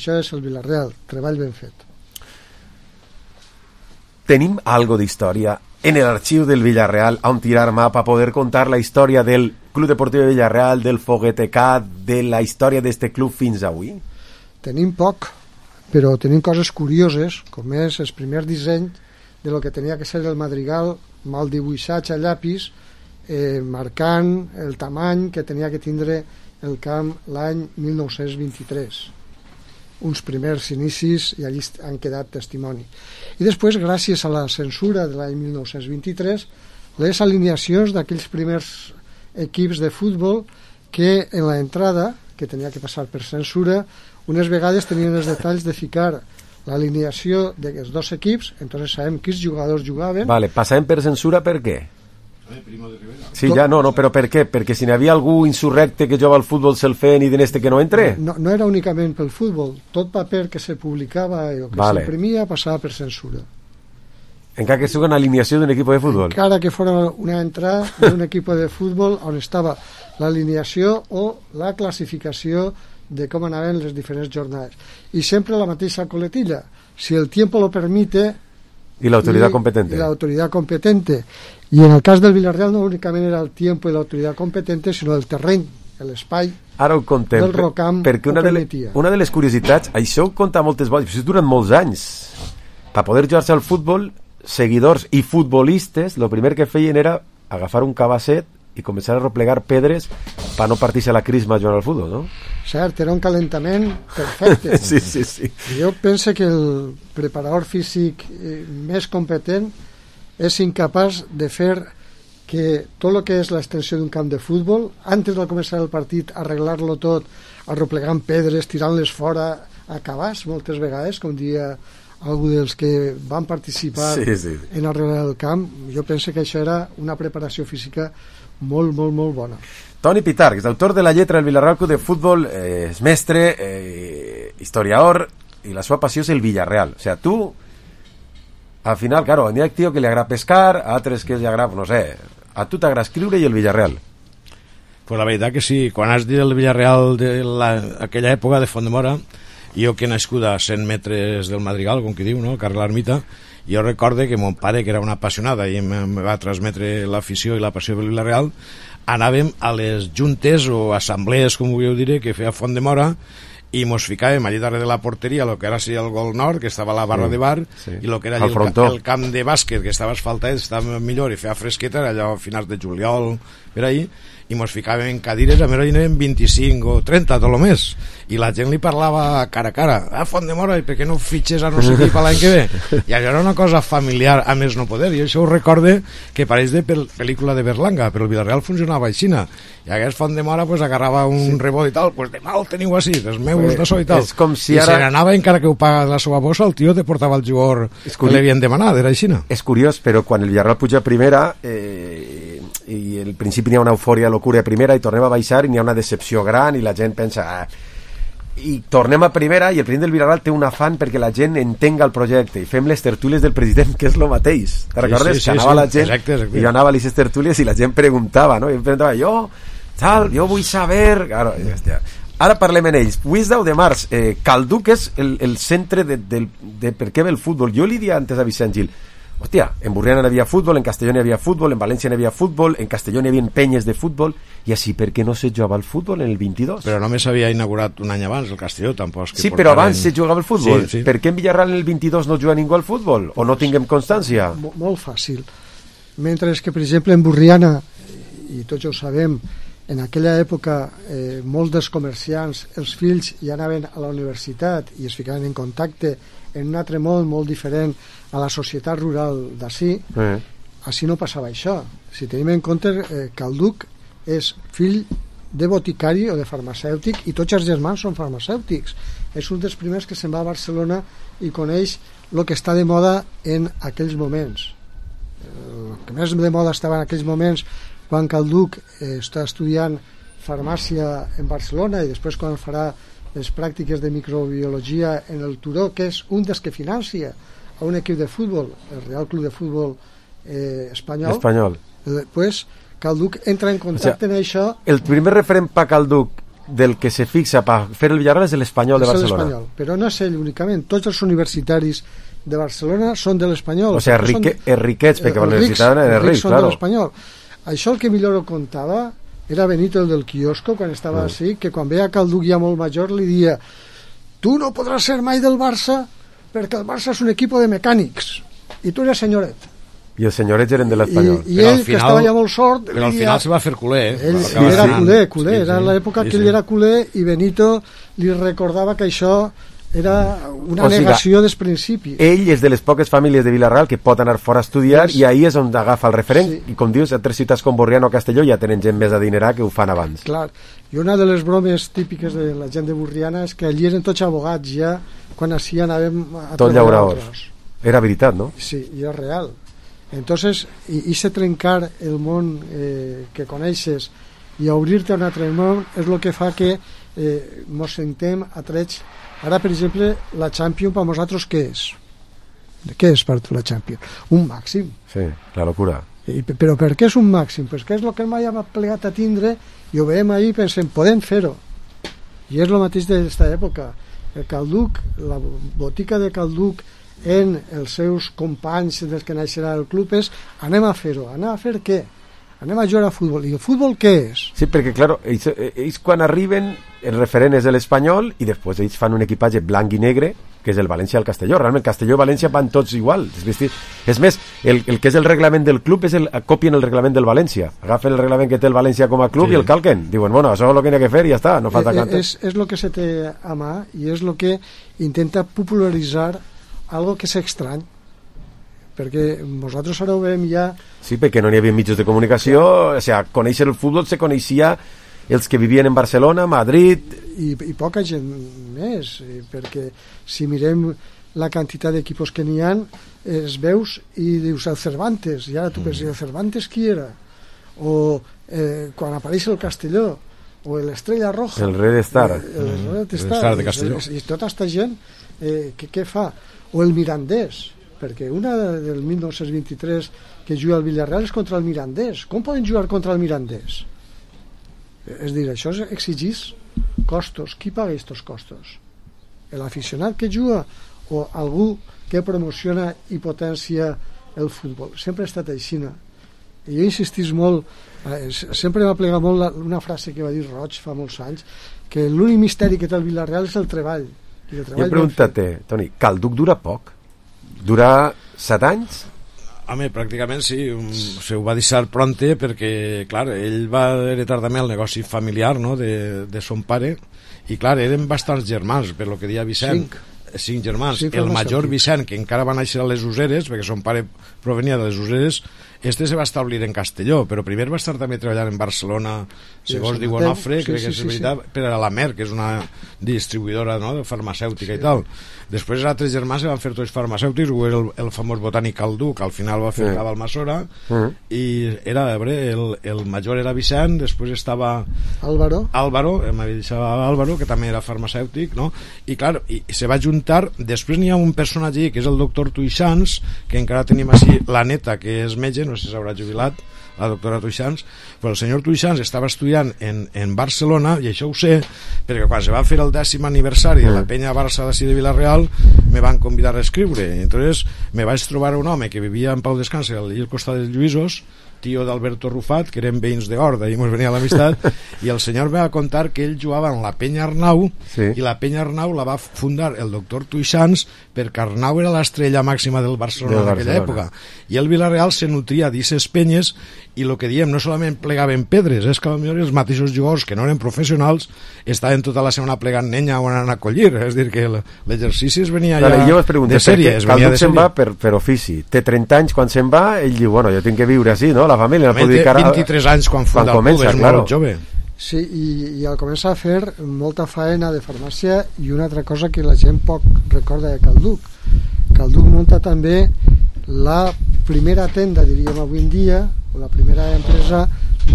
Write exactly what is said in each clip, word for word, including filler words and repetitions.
Això és el Villarreal, treball ben fet. Tenim algo d'història en el arxiu del Villarreal on tirar mà per poder contar la història del Club Deportiu de Villarreal, del Foguetecat, de la història d'este club fins avui? Tenim poc, però tenim coses curioses, com és el primer disseny de lo que tenia que ser el madrigal mal dibuixat a llapis, eh, marcant el tamany que tenia que tindre el camp l'any mil nou-cents vint-i-tres. Uns primers inicis i allí han quedat testimoni. I després, gràcies a la censura de l'any mil nou-cents vint-i-tres, les alineacions d'aquells primers equips de futbol que en la entrada, que tenia que passar per censura, unes vegades tenien els detalls de ficar l'alineació dels dos equips, entonces sabem quins jugadors jugaven. Vale, passàvem per censura per què? Sí, ja, no, no, però per què? Perquè si n'hi havia algú insurrecte que jugava al futbol se'l feien i en este que no entre? No, no era únicament pel futbol, tot paper que se publicava o que vale. S'imprimia passava per censura. Encara que sigui una alineació d'un equip de futbol? Encara que fos una entrada d'un equip de futbol on estava l'alineació o la classificació de com anaven les diferents jornades. I sempre la mateixa coletilla. Si el tiempo lo permite... Y la autoridad competente. Y la autoridad competente. Y en el cas del Villarreal no únicament era el tiempo i l'autoritat competente, sinó el terreny, l'espai del Rocamp perquè una de, le, una de les curiositats, això ho conta moltes vegades, això durant molts anys. Per poder jugar-se al futbol, seguidors i futbolistes, el primer que feien era agafar un cabasset i començar a replegar pedres per no partir-se la crisma jugant al futbol, no? Cert, era un calentament perfecte. Sí, sí, sí. Jo penso que el preparador físic més competent és incapaç de fer que tot el que és l'extensió d'un camp de futbol, antes de començar el partit, arreglar-lo tot, arroplegant pedres, tirant-les fora, a cabàs, moltes vegades, com dia algú dels que van participar sí, sí. en arreglar el camp. Jo penso que això era una preparació física molt, molt, molt bona. Toni Pitarch, és autor de la lletra del Villarreal Club de Futbol, eh, és mestre, eh, historiador, i la seva passió és el Villarreal. O sea, tu, al final, claro, n'hi ha tío que li agrada pescar, a altres que li agrada, no sé, a tu t'agrada escriure i el Villarreal. Pues la veritat que sí, quan has dit el Villarreal de la, aquella època de Font-de-Mora, jo que he nascut a cent metres del Madrigal, com que diu, no? Carrer l'Ermita, jo recorde que mon pare, que era una apassionada i em va transmetre l'afició i la passió pel Villarreal, anàvem a les juntes o assemblees, com vulgueu dir, que feia Font-de-Mora, i mos ficàvem allà darrere de la porteria, el que era sí, el gol nord, que estava a la barra sí, de bar, sí. I el que era el, el, el camp de bàsquet, que estava asfaltat, estava millor i feia fresqueta, era allò a finals de juliol, per ahí, i mos ficàvem en cadires, a més hi anàvem vint-i-cinc o trenta, tot el més, i la gent li parlava cara a cara, ah, Font-de-Mora, i per què no fitxes a no sé qui per l'any que ve? I això era una cosa familiar a més no poder, i això ho recorde que pareix de pel pel·lícula de Berlanga, però el Villarreal funcionava aixina, i aquest Font-de-Mora pues, agarrava un sí. rebot i tal, pues demà el teniu així, els meus de so i tal, com si i ara... se n'anava encara que ho paga de la seva bossa, el tio te portava el jugador que li havien demanat, era aixina. És curiós, però quan el Villarreal puja a primera, eh, i al principi n'hi ha una eufòria, locura a primera, i tornem a baixar i n'hi ha una decepció gran i la gent pensa... Ah, i tornem a primera i el president del Villarreal té un afany perquè la gent entenga el projecte i fem les tertúlies del president, que és el mateix. Te recordes? Sí, sí, que anava sí, la gent exacte, exacte. I jo anava a les tertúlies i la gent preguntava, no? I em preguntava, jo, tal, jo vull saber... Claro, hòstia. Ara parlem en ells. Avui és deu de març. Eh, Calduc és el, el centre de, de, de per què ve el futbol. Jo li dia antes a Vicent Gil, hòstia, en Burriana n'hi havia futbol, en Castelló n'hi havia futbol, en València n'hi havia futbol, en Castelló n'hi havia penyes de futbol, i així per què no se jugava el futbol en el vint-i-dos? Però només s'havia inaugurat un any abans el Castelló, tampoc. Que sí, però abans se jugava el futbol. Sí, sí. Per què en Villarreal en el vint-i-dos no juga ningú al futbol? O no tinguem constància? Molt, molt fàcil. Mentre que, per exemple, en Burriana, i tots ho sabem, en aquella època eh, molts dels comerciants, els fills ja anaven a la universitat i es ficaven en contacte en un altre món molt diferent a la societat rural d'ací, eh. Així no passava això. Si tenim en compte eh, que el Duc és fill de boticari o de farmacèutic i tots els germans són farmacèutics. És un dels primers que se'n va a Barcelona i coneix el que està de moda en aquells moments. El que més de moda estava en aquells moments quan Calduc eh, està estudiant farmàcia en Barcelona i després quan farà les pràctiques de microbiologia en el Turó, que és un dels que financia a un equip de futbol, el Real Club de Futbol eh, espanyol, espanyol. Eh, pues Calduc entra en contacte, o sea, en això. El primer referent per Calduc del que se fixa per fer el Villarreal és l'Espanyol de és Barcelona. l'Espanyol, però no és ell únicament, tots els universitaris de Barcelona són de l'Espanyol. O sigui, rique, són, riquets, perquè la universitat era ric, són claro. de l'Espanyol. Això el que millor ho contava era Benito, el del quiosco, quan estava mm. així, que quan veia que el Duc ja molt major li dia: tu no podràs ser mai del Barça perquè el Barça és un equip de mecànics i tu eres senyoret. I els senyorets eren de l'Espanyol. I, i ell, final, que estava ja molt sort... Però al final dia... se va fer culer, eh? Ell sí, era culer, culer. Sí, era sí, l'època sí, que sí. ell era culer i Benito li recordava que això era una o negació siga, dels principis. Ell és de les poques famílies de Villarreal que pot anar fora a estudiar sí. i ahir és on agafa el referent sí. i com dius, a tres ciutats com Borriana o Castelló ja tenen gent més adinerar que ho fan abans. Clar, i una de les bromes típiques de la gent de Borriana és que allí eren tots abogats ja quan així anàvem a tot llauraors. Era veritat, no? Sí, i és real. Entonces, i, i se trencar el món eh, que coneixes i obrir-te a un altre món és el que fa que eh, mos sentem atrets. Ara, per exemple, la Champions per nosaltres què és? Què és per tu la Champions? Un màxim. Sí, la locura. I, però per què és un màxim? Pues que és el que mai hem plegat a tindre i ho veiem ahir i pensem, podem fer-ho. I és el mateix d'aquesta època. El Calduc, la botica de Calduc en els seus companys dels que naixerà el club és anem a fer-ho, anem a fer què? Anem a jugar a futbol. I el futbol què és? Sí, perquè, clar, ells, ells quan arriben el referent és l'Espanyol i després ells fan un equipatge blanc i negre que és el València i el Castelló. Realment Castelló i València van tots igual. És més, el, el que és el reglament del club és el, copien el reglament del València. Agafen el reglament que té el València com a club sí. i el calquen. Diuen, bueno, això és el que hi ha que fer i ja està, no falta eh, cantar. És, és el que se té a mà i és el que intenta popularitzar algo que és estrany, perquè nosaltres ara ho veiem ja... Sí, perquè no n'hi havia mitjans de comunicació, o sigui, conèixer el futbol se coneixia els que vivien en Barcelona, Madrid... I, i poca gent més, perquè si mirem la quantitat d'equipos que n'hi ha, es veus i dius el Cervantes, i ara tu penses, el Cervantes qui era? O eh, quan apareix el Castelló, o l'Estrella Roja... El Red Star. El, el, el Red Star, Star de Castelló. I, i tota aquesta gent, eh, què, què fa? O el Mirandés, perquè una del mil nou-cents vint-i-tres que juga al Villarreal és contra el Mirandés. Com poden jugar contra el Mirandés? És dir, això exigís costos. Qui paga aquests costos? L'aficionat que juga o algú que promociona i potencia el futbol? Sempre ha estat així. I jo insistís molt, eh, sempre m'ha plegat molt la, una frase que va dir Roig fa molts anys, que l'únic misteri que té el Villarreal és el treball. I el treball jo pregunta-te, Toni, Calduc dura poc? Dura set anys? Home, pràcticament sí, um, se ho va deixar pronte perquè, clar, ell va heretar també el negoci familiar, no?, de, de son pare, i clar, eren bastants germans, per lo que deia Vicent. Cinc. Cinc germans. Sí, el major Vicent, que encara va néixer a les Useres, perquè son pare provenia de les Useres, este se va establir en Castelló, però primer va estar també treballant en Barcelona, segons sí, diu Onofre, sí, crec sí, que és sí, veritat, sí. per a la Mer, que és una distribuïdora, no?, farmacèutica sí. i tal. Després els altres germans se van fer tots farmacèutics, el, el famós botànic Calduc, al final va fer sí. Cabal Masora, uh-huh. i era, a veure, el, el major era Vicent, després estava Álvaro, Álvaro, m'havia dit Álvaro, que també era farmacèutic, no? I clar, i, i se va juntar, després n'hi ha un personatge que és el doctor Tuixans, que encara tenim així la neta, que és metge, no sé si s'haurà jubilat, la doctora Tuixans, però el senyor Tuixans estava estudiant en, en Barcelona, i això ho sé, perquè quan se va fer el dècim aniversari de la penya Barça d'ací de Vila-real, me van convidar a escriure, i entonces me vaig trobar un home que vivia en Pau Descanse al costat dels Lluïsos, tio d'Alberto Rufat, que eren veïns de Horda i ens venia l'amistat, i el senyor va contar que ell jugava en la penya Arnau sí. i la penya Arnau la va fundar el doctor Tuixans perquè Arnau era l'estrella màxima del Barcelona en aquella època, i el Villarreal se nutria d'aquestes penyes, i el que diem, no solament plegaven pedres, és que potser els mateixos jugadors que no eren professionals estaven tota la setmana plegant nenya o anant a collir, és dir, que l'exercici es venia ja jo pregunto, de sèrie, es venia de sèrie. Se'n va per, per ofici, té trenta anys quan se'n va, ell diu, bueno, jo tinc que viure així, no?, la família, no pot dedicar a... vint-i-tres anys quan funda quan comença, el club, és claro. molt jove. Sí, i, i al començar a fer molta faena de farmàcia, i una altra cosa que la gent poc recorda de Calduc. Calduc munta també la primera tenda, diríem avui en dia, o la primera empresa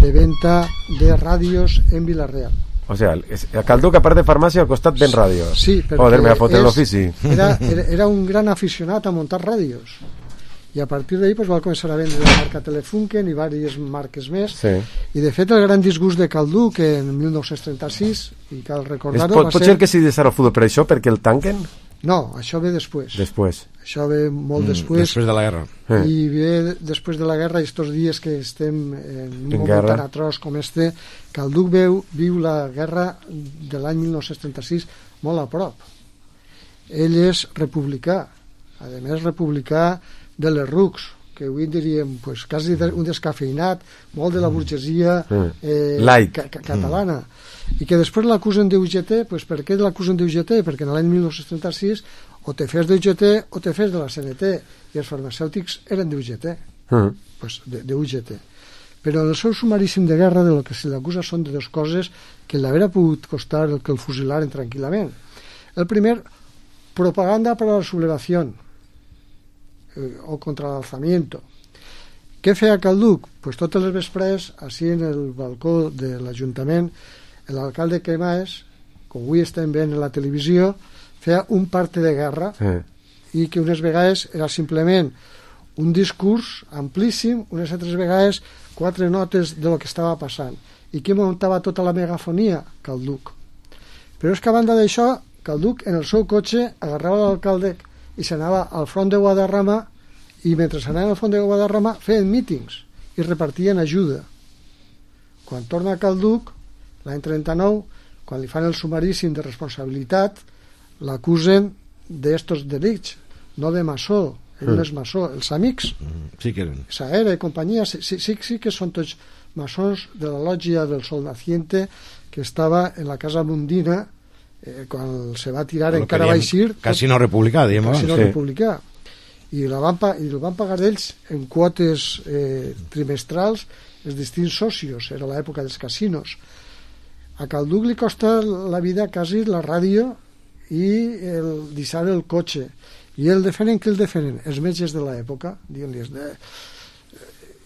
de venda de ràdios en Vila-real. O sea, a Calduc, a part de farmàcia, al costat ven ràdios. Sí, perquè Joder, me va fotre l'ofici. Era, era, era un gran aficionat a muntar ràdios. i a partir d'ahir pues, va començar a vendre la marca Telefunken i diverses marques més, sí. I de fet el gran disgust de Calduc en mil nou-cents trenta-sis, i cal recordar-ho, pot, va pot ser... ser que sigui deixar el futbol per això, perquè el tanquen? No, això ve després. Després. Això ve molt mm, després. Després de la guerra. Eh. I ve després de la guerra, i estos dies que estem en un en moment guerra. tan atroç com este, Calduc veu, viu la guerra de l'any mil nou-cents trenta-sis molt a prop. Ell és republicà, a més republicà de les rucs, que avui en diríem pues, quasi un descafeinat, molt de la burgesia eh, Light. ca ca catalana, i que després l'acusen d'U G T. Pues per què l'acusen d'U G T? Perquè en l'any mil nou-cents trenta-sis o te fes d'U G T o te fes de la C N T, i els farmacèutics eren d'U G T, Mm. pues d'U G T. Però en el seu sumaríssim de guerra de lo que se l'acusa són de dues coses que l'haurà pogut costar el que el fusilaren tranquil·lament. El primer, propaganda para la sublevación eh, o contra l'alzamiento. Què feia Calduc? Pues totes les vesprades, així en el balcó de l'Ajuntament, l'alcalde Quemaes, com avui estem veient en la televisió, feia un parte de guerra, Eh. i que unes vegades era simplement un discurs amplíssim, unes altres vegades quatre notes de lo que estava passant. I qui muntava tota la megafonia? Calduc. Però és que a banda d'això, Calduc en el seu cotxe agarrava l'alcalde i s'anava al front de Guadarrama, i mentre s'anava al front de Guadarrama feien mítings i repartien ajuda. Quan torna a Calduc, l'any trenta-nou, quan li fan el sumaríssim de responsabilitat, l'acusen d'estos delictes, no de maçó. Ell no és maçó, els amics, Sí que eren. Saera i companyia, sí, sí, sí, sí que són tots maçons de la lògia del Sol Naciente, que estava en la Casa Mundina, eh, quan se va tirar Lo encara que va diem eixir... Casino Republicà, diem abans. Casino sí. Republicà. I, la van, pa- i el van pagar ells en quotes eh, trimestrals els distints socios, era l'època dels casinos. A Calduc li costa la vida quasi la ràdio i el deixar el cotxe. I el defenen, qui el defenen? Els metges de l'època, dient-li de...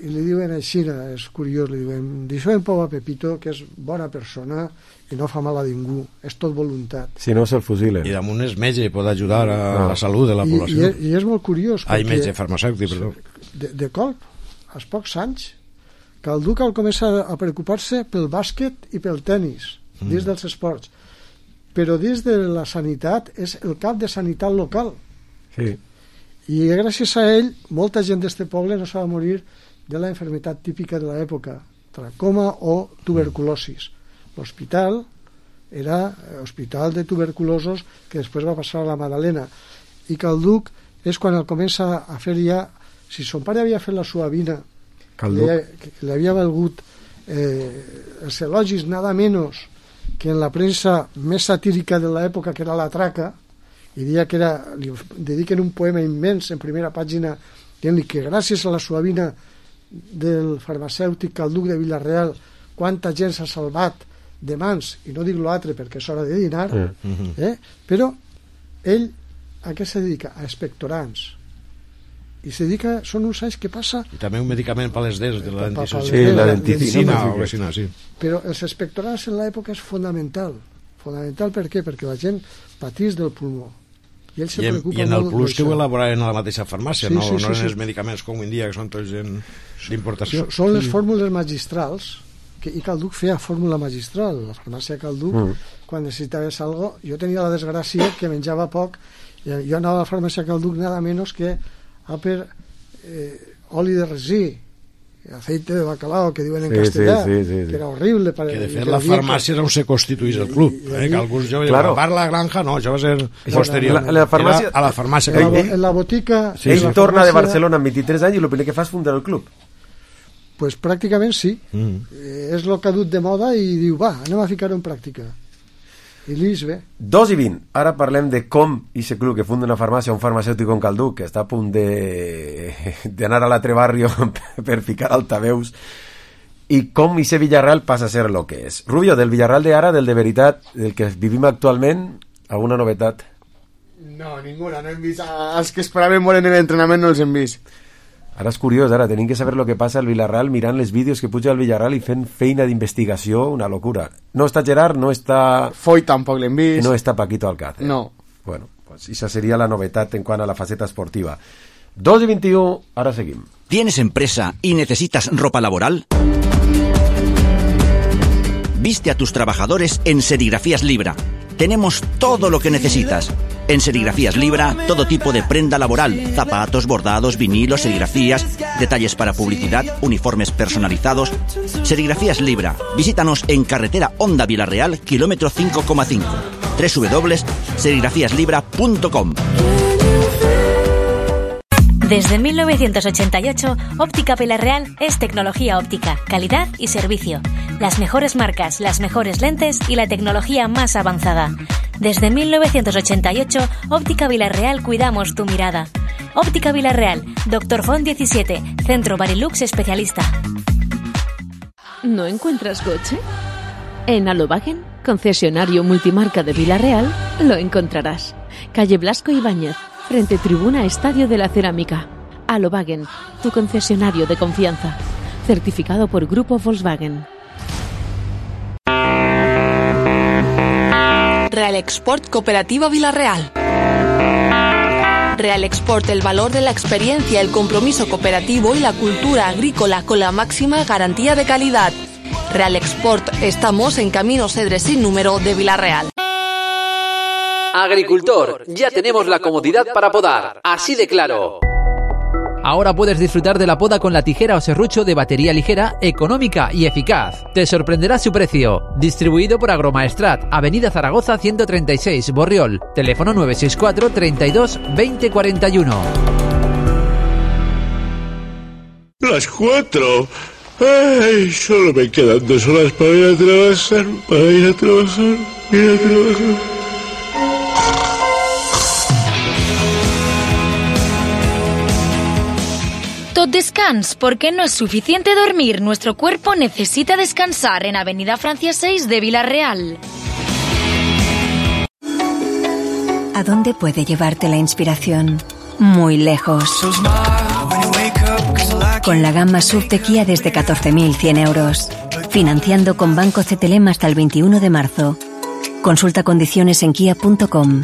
i li diuen així, és curiós, li diuen, deixeu en pau a Pepito, que és bona persona i no fa mal a ningú, és tot voluntat. Si no, se'l fusilen. I damunt és metge i pot ajudar a No. la salut de la I, i, població. i és molt curiós Ai, perquè metge farmacèutic, perdó. de, de colp, als pocs anys, Calduc al començar a preocupar-se pel bàsquet i pel tennis, mm. dins dels esports, però dins de la sanitat és el cap de sanitat local. Sí. I gràcies a ell, molta gent d'este poble no se va morir de la enfermetat típica de l'època, tracoma o tuberculosis. L'hospital era hospital de tuberculosos que després va passar a la Madalena. I Calduc és quan el comença a fer ja... Si son pare havia fet la suavina, Calduc. que li havia valgut eh, els elogis nada menos que en la premsa més satírica de l'època, que era la traca, i dia que era, li dediquen un poema immens en primera pàgina dient-li que gràcies a la suavina del farmacèutic Calduc de Villarreal quanta gent s'ha salvat de mans, i no dic l'altre perquè és hora de dinar, Mm. eh? Però ell a què se dedica? A expectorants, i se dedica, són uns anys que passa, I també un medicament per les dents de la Pa- pa- dentició. pa- Sí, la denticina. o vecina, sí. però els expectorants en l'època és fonamental. Fonamental per què? Perquè la gent patís del pulmó. I ell se I en, preocupa i en el molt plus que ho d'això. elaboraven a la mateixa farmàcia, Sí, no, sí, no sí, eren sí. els medicaments com avui en dia, que són tots en- d'importació. S- Són les fórmules magistrals, que, i Calduc feia fórmula magistral. La farmàcia Calduc, Mm. quan necessitaves algo, jo tenia la desgràcia que menjava poc, i jo anava a la farmàcia Calduc nada menos que a per eh, oli de resí, aceite de bacalao, que diuen en Sí, castellà, sí, sí, sí, sí. que era horrible. Per, Que de i fet que la deia que- farmàcia era on se constituís el club, I- i eh? allí- que alguns joves Claro. claro. a part la granja no, això va ser posterior. La- la farmàcia- Era a la farmàcia En la, bo- que en la botica... Sí, en ell la torna de farmàcia, Barcelona amb vint-i-tres anys i el primer que fa és fundar el club. Pues pràcticament sí. Mm. Eh, és el que ha dut de moda i diu, va, anem a ficar-ho en pràctica. I l'Is bé. Dos i vint. Ara parlem de com aquest club que funda una farmàcia, un farmacèutic com Calduc, que està a punt de d'anar a l'altre barri per ficar altaveus, i com aquest Villarreal passa a ser el que és. Rubio, del Villarreal de ara, del de veritat, del que vivim actualment, alguna novetat? No, ninguna, no hem vist... Els que esperaven molt en l'entrenament no els hem vist. Ara és curiós, ara tenim que saber el que passa al Villarreal mirant les vídeos que puja al Villarreal i fent feina d'investigació, una locura. No està Gerard, no està... Foy tampoc l'hem vist. No està Paquito Alcácer. No. Bueno, pues esa seria la novetat en quant a la faceta esportiva. dos i vint-i-u, ara seguim. ¿Tienes empresa y necesitas ropa laboral? Viste a tus trabajadores en Serigrafías Libra. Tenemos todo lo que necesitas. En Serigrafías Libra, todo tipo de prenda laboral, zapatos, bordados, vinilos, serigrafías, detalles para publicidad, uniformes personalizados. Serigrafías Libra. Visítanos en carretera Honda Vilarreal, kilómetro cinco coma cinco. doble u doble u doble u punto serigrafías libra punto com. Desde mil novecientos ochenta y ocho, Óptica Vilarreal es tecnología óptica, calidad y servicio. Las mejores marcas, las mejores lentes y la tecnología más avanzada. Desde mil novecientos ochenta y ocho, Óptica Vilarreal cuidamos tu mirada. Óptica Vilarreal, Doctor Font diecisiete, Centro Barilux especialista. ¿No encuentras coche? En Alobagen, concesionario multimarca de Vilarreal, lo encontrarás. Calle Blasco Ibáñez, frente Tribuna Estadio de la Cerámica. Alobagen, tu concesionario de confianza. Certificado por Grupo Volkswagen. Real Export Cooperativa Vilarreal. Real Export, el valor de la experiencia, el compromiso cooperativo y la cultura agrícola con la máxima garantía de calidad. Real Export, estamos en Camino Cedres sin número de Vilarreal. Agricultor, ya tenemos la comodidad para podar, así de claro. Ahora puedes disfrutar de la poda con la tijera o serrucho de batería ligera, económica y eficaz. Te sorprenderá su precio. Distribuido por Agromaestrat, Avenida Zaragoza ciento treinta y seis, Borriol. Teléfono nueve seis cuatro, treinta y dos, veinte cuarenta y uno. Las cuatro. Ay, solo me quedan dos horas para ir a trabajar, para ir a trabajar, ir a trabajar. Tot descans, porque no es suficiente dormir. Nuestro cuerpo necesita descansar en Avenida Francia seis de Vilarreal. ¿A dónde puede llevarte la inspiración? Muy lejos. Con la gama S U V de Kia desde catorce mil cien euros. Financiando con Banco C T L E M hasta el veintiuno de marzo. Consulta condiciones en kia punto com.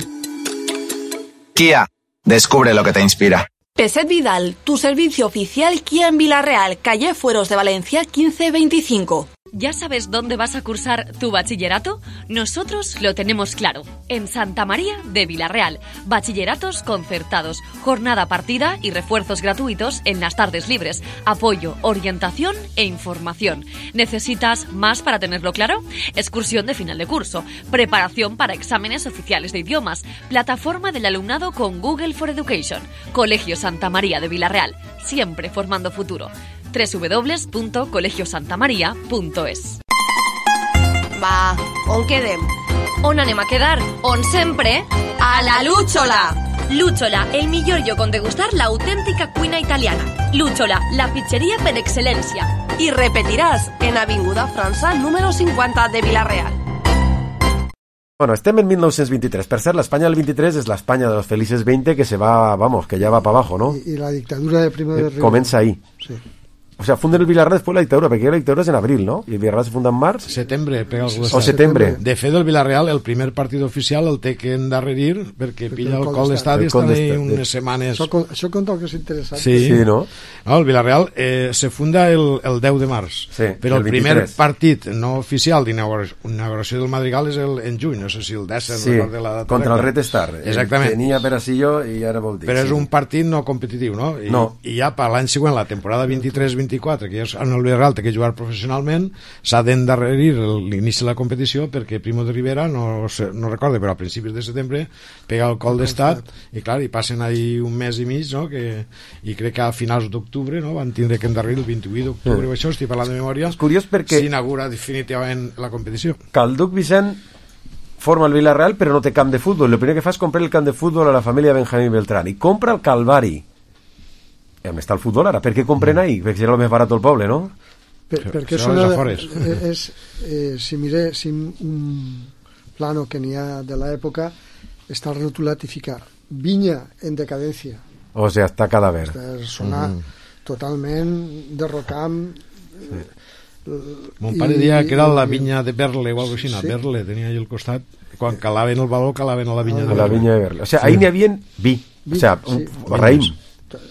Kia, descubre lo que te inspira. Peset Vidal, tu servicio oficial Kia en Vilarreal, calle Fueros de Valencia quince veinticinco. ¿Ya sabes dónde vas a cursar tu bachillerato? Nosotros lo tenemos claro. En Santa María de Vilarreal. Bachilleratos concertados, jornada partida y refuerzos gratuitos en las tardes libres. Apoyo, orientación e información. ¿Necesitas más para tenerlo claro? Excursión de final de curso. Preparación para exámenes oficiales de idiomas. Plataforma del alumnado con Google for Education. Colegio Santa María de Vilarreal. Siempre formando futuro. doble u doble u doble u punto colegio santa maria punto es. Va, on quedem? On anem a quedar? On sempre? A la Lúchola! Lúchola, el millor lloc on degustar l'autèntica cuina italiana. Lúchola, la pizzeria per excel·lència. I repetiràs en Avinguda França, número cincuenta de Vilarreal. Bueno, estem en mil nou-cents vint-i-tres. Per cert, l'Espanya del vint-i-tres és l'Espanya de los felices veinte que se va, vamos, que ya va para abajo, ¿no? Y, y la dictadura de Primo de Rivera. Comienza ahí. Sí. O sea, funden el Vilarreal después de la dictadura, porque la dictadura es en abril, ¿no? Y el Vilarreal se funda en març. Setembre, pega algú O setembre. De fet, el Vilarreal, el primer partit oficial, el té que endarrerir, perquè pilla el col d'estadi, estan ahí unes setmanes... Això, això conta el que és interessant. Sí, sí, no? No, el Vilarreal eh, se funda el, el deu de març, sí, però el, el primer vint-i-tres. partit no oficial d'inauguració del Madrigal és el, en juny, no sé si el dèsset, sí, no de la data contra el Red Star. Exactament. Tenia Perasillo i ara vol dir. Però sí. és un partit no competitiu, no? I, no. I ja per l'any següent, la temporada vint-i-tres vint-i-quatre, que ja és en el Vilarreal té que jugar professionalment, s'ha d'endarrerir l'inici de la competició perquè Primo de Rivera, no, no recorda, però a principis de setembre pega el col d'estat i clar, i passen ahí un mes i mig, no? Que, i crec que a finals d'octubre, no? Van tindre que endarrerir el vint-i-vuit d'octubre, sí. Això estic parlant de memòria. És curiós perquè s'inaugura definitivament la competició. Calduc Vicent forma el Vilarreal però no té camp de futbol. El primer que fa és comprar el camp de futbol a la família Benjamín Beltrán i compra el Calvari. I on està el futbol ara? Per què compren ahí? Perquè serà el més barat del poble, no? Per, perquè és una, és, eh, si mire si un plano que n'hi ha de l'època està rotulat i fica vinya en decadència, o sigui, està cadàver, sonar uh -huh. totalment derrocant. Sí. Mon pare deia que era la vinya de Berle o alguna cosa així, sí. Berle tenia allà al costat, quan calaven el valor calaven a la vinya, a de, la Berle. vinya de Berle, o sigui, sí. Ahí n'hi havia vi, vi, o sigui, un sí. raïm.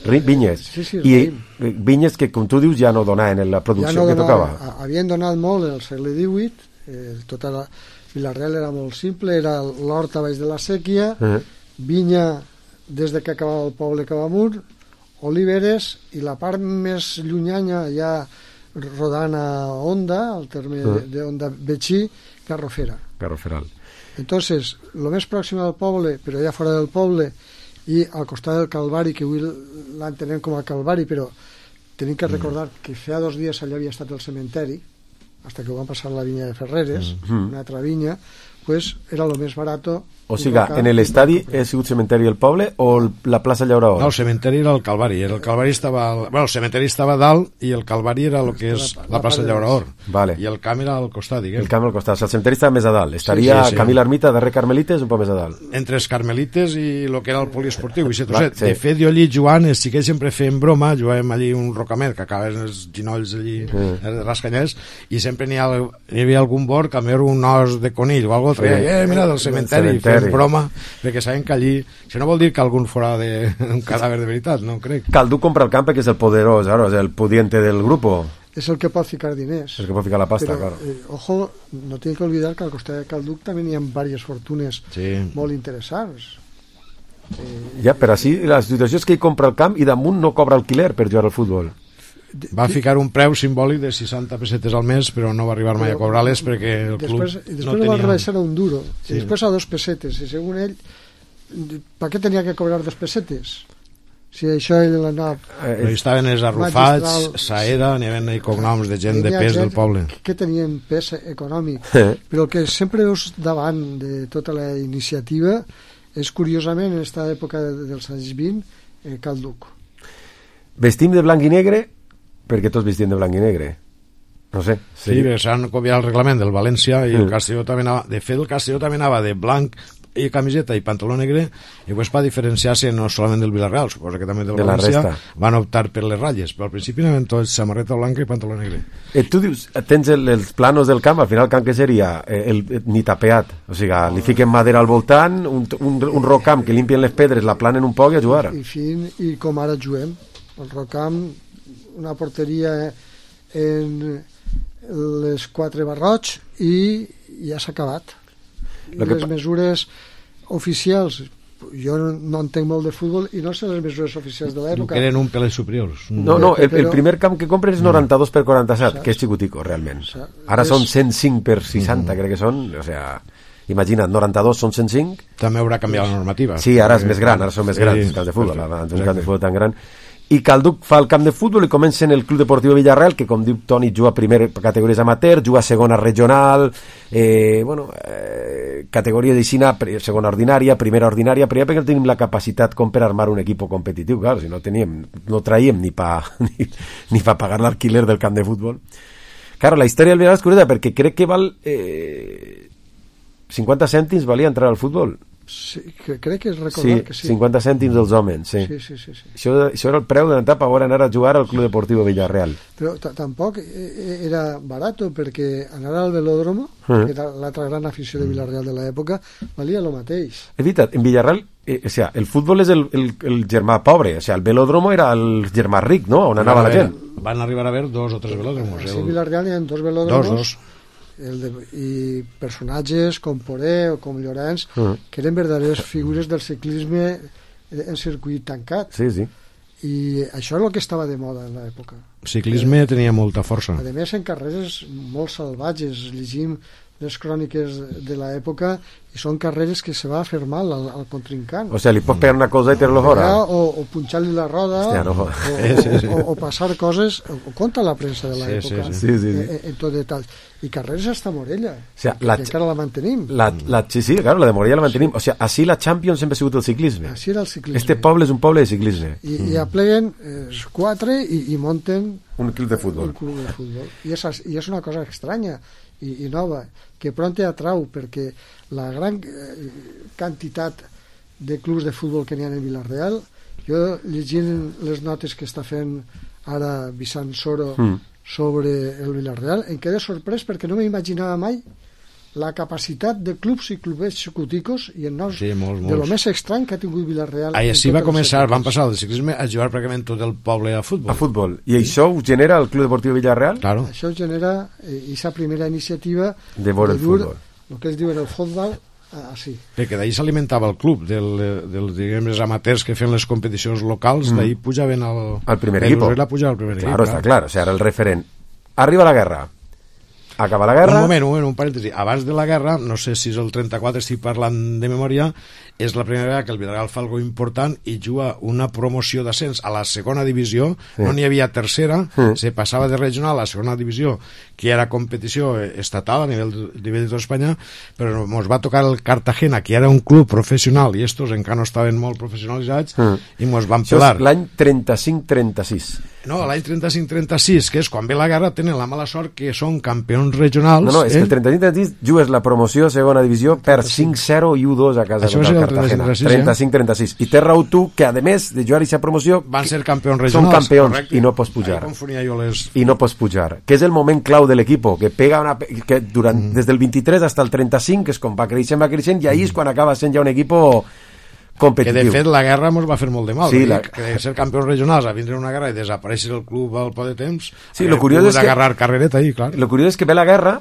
Vinyes. Sí, sí, I raïm. vinyes que, com tu dius, ja no donaven en la producció ja no que donava, tocava. havien donat molt en el segle divuit, eh, tota la Vila-real era molt simple, era l'hort a baix de la sèquia, uh-huh. vinya des de que acabava el poble cap amunt, oliveres, i la part més llunyana ja rodant a Onda, al terme uh-huh. de, de Onda Betxí, Garrofera. Garroferal. Entonces, lo més pròxim al poble, però ja fora del poble, i al costat del Calvari, que avui l'entenem com a Calvari, però tenim que recordar mm. que fa dos dies allà havia estat el cementeri, hasta que ho van passar la vinya de Ferreres, mm. una altra vinya, pues era lo més barato. O sigui, en l'estadi ha sigut cementeri el poble o la plaça Llaurador? No, el cementeri era el Calvari. El Calvari estava... Al... Bueno, el cementeri estava dalt i el Calvari era el que és la, la plaça Llaurador. Vale. I el camp era al costat, diguem. El camp al costat. El cementeri estava més a dalt. Estaria sí, sí, sí. Camí l'Ermita, darrer Carmelites, un poc més a dalt. Entre els Carmelites i el que era el poliesportiu. I Va, sí. De fet, jo allí jugant, sí que sempre fèiem broma, jugàvem allí un rocamet, que acaben els ginolls allí, mm. rascanyers, i sempre n'hi, ha, n'hi havia algun bord que era un os de conill o alguna cosa, sí. eh, mira, del cementeri, fèiem broma, perquè saben que allí, això no vol dir que algun fora de, un cadàver de veritat, no crec. Calduc compra el camp que és el poderós, claro, és el pudiente del grupo. És el que pot ficar diners. El que pot ficar la pasta, però, claro. Eh, ojo, no tinc que olvidar que al costat de Calduc també hi ha diverses fortunes sí. molt interessants. Eh, ja, però així la situació és que ell compra el camp i damunt no cobra alquiler per jugar al futbol. Va ficar un preu simbòlic de seixanta pessetes al mes, però no va arribar mai a cobrar-les perquè el després, club després no tenia... va rebaixar a un duro, sí. i després a dos pessetes, i segons ell, per què tenia que cobrar dos pessetes? Si això ell l'anava... Eh, estaven els arrufats, Saeda, n'hi havia cognoms de gent de pes del poble. Que tenien pes econòmic, però el que sempre veus davant de tota la iniciativa és, curiosament, en aquesta època dels anys vint, eh, Calduc. Vestim de blanc i negre perquè tots vestien de blanc i negre, no sé. Sí, sí s'han copiat el reglament del València i mm. el Castelló també anava, de fet el Castelló també anava de blanc i camiseta i pantaló negre, i després va diferenciar-se no solament del Villarreal, suposo que també del de València, van optar per les ratlles, però al principi anaven tots samarreta blanca i pantaló negre. Eh, tu dius, tens el, els planos del camp, al final el camp que seria eh, el, el, ni tapeat, o sigui, li fiquen madera al voltant, un, un, un rocamp que limpien les pedres, la planen un poc i a jugar. I, fin, i com ara juguem, el rocamp, una porteria en les quatre barrots i ja s'ha acabat. Les que... mesures oficials, jo no, no entenc molt de futbol i no sé les mesures oficials de l'època. No queden un peles superiors. No, no, el, el primer camp que compres és noranta-dos per quaranta-set, que és xicutico, realment. Ara són cent cinc per seixanta, mm. crec que són, o sea... Imagina't, noranta-dos són cent cinc. També haurà canviat la normativa. Sí, ara és més gran, ara són més grans els camps de futbol, abans un camp de futbol tan gran. I Calduc fa el camp de futbol i comença en el Club Deportiu Villarreal, que com diu Toni juga a primer categories amateur, juga a segona regional, eh, bueno, eh, categoria d'Ixina, segona ordinària, primera ordinària, però ja perquè tenim la capacitat com per armar un equip competitiu, clar, si no teníem, no traiem ni pa, ni, ni pa pagar l'alquiler del camp de futbol. Claro, la història del Villarreal és curiosa perquè crec que val eh, cinquanta cèntims valia entrar al futbol. Sí, que crec que és recordar sí, que sí. cinquanta cèntims dels homes, sí. Sí, sí, sí, sí. Això, això era el preu d'entrar per anar a jugar al Club Deportiu Villarreal. Però tampoc era barat, perquè anar al velòdromo, uh-huh. que era l'altra gran afició de Villarreal de l'època, valia el mateix. És veritat, en Villarreal, eh, o sea, el futbol és el, el, el germà pobre, o sea, el velòdromo era el germà ric, no? On anava la gent. Van arribar a haver dos o tres velòdromos. Sí, en Villarreal hi ha dos velòdromos. Dos, dos. El de, i personatges com Poré o com Llorenç uh-huh. que eren verdaderes figures del ciclisme en circuit tancat, sí, sí. i això és el que estava de moda en l'època. Ciclisme eh, tenia molta força, a més en carreres molt salvatges. Llegim les cròniques de l'època i són carreres que se va fer mal al, al contrincant, o sigui, li pots pegar una cosa i ter-lo fora o, o punxar-li la roda. Hòstia, no. o, o, o, o passar coses, o conta la premsa de l'època, sí, sí, sí. Sí, sí. En, en tot detall, i carreres hasta Morella, o sea, la, que encara la mantenim la, la, sí, sí, claro, la de Morella la mantenim, sí. O sigui, així la Champions sempre ha sigut el ciclisme, així era el ciclisme. Este poble és un poble de ciclisme i, mm. i apleguen eh, quatre i, i monten un club de futbol, un club de futbol. I, és, i és una cosa estranya i, i nova, que pront atrau, perquè la gran eh, quantitat de clubs de futbol que n'hi ha en Villarreal, jo llegint les notes que està fent ara Vicent Soro mm. sobre el Villarreal, em quedé sorprès perquè no m'imaginava mai la capacitat de clubs i clubets xucuticos i en noms sí, molts, molts. de lo més estrany que ha tingut Villarreal. Així va començar, van passar del ciclisme a jugar pràcticament tot el poble a futbol. A futbol. I sí. Això ho genera el Club Deportiu Villarreal? Claro. Això genera aquesta eh, primera iniciativa de veure el futbol. El que ells diuen el futbol, així. Perquè d'ahir s'alimentava el club, del, del, diguem, els amateurs que feien les competicions locals, mm. d'ahir pujaven al, al primer equip. La pujava al primer claro, equip. Està clar, o sigui, era el referent. Arriba la guerra. Acaba la guerra... Un moment, un moment, un parèntesi. Abans de la guerra, no sé si és el trenta-quatre, estic parlant de memòria, és la primera vegada que el Villarreal fa alguna important i juga una promoció d'ascens a la segona divisió, sí. No n'hi havia tercera, sí. Se passava de regional a la segona divisió, que era competició estatal a nivell de, nivell de tota Espanya, però ens va tocar el Cartagena, que era un club professional, i estos encara no estaven molt professionalitzats, sí. I ens van pelar. Això és l'any trenta-cinc trenta-sis. No, l'any trenta-cinc trenta-sis, que és quan ve la guerra, tenen la mala sort que són campions regionals. No, no, és eh? que el trenta-cinc trenta-sis jugues la promoció a segona divisió per cinc zero i u dos a casa això contra el Cartagena. trenta-cinc trenta-sis. I té raó tu que, a més de jugar aquesta promoció, van ser campions regionals. Són campions, correcte. I no pots pujar. Jo les... I no pots pujar. Que és el moment clau de l'equip, que pega una... que durant, mm. des del vint-i-tres fins al trenta-cinc, que és com va creixent, va creixent, i ahir és quan acaba sent ja un equip competitiu. Que de fet la guerra ens va fer molt de mal, sí, la... que de ser campions regionals a vindre una guerra i desaparèixer el club al poc de temps, sí, lo curiós és que agarrar carrereta ahí, clar. Lo curiós és que ve la guerra,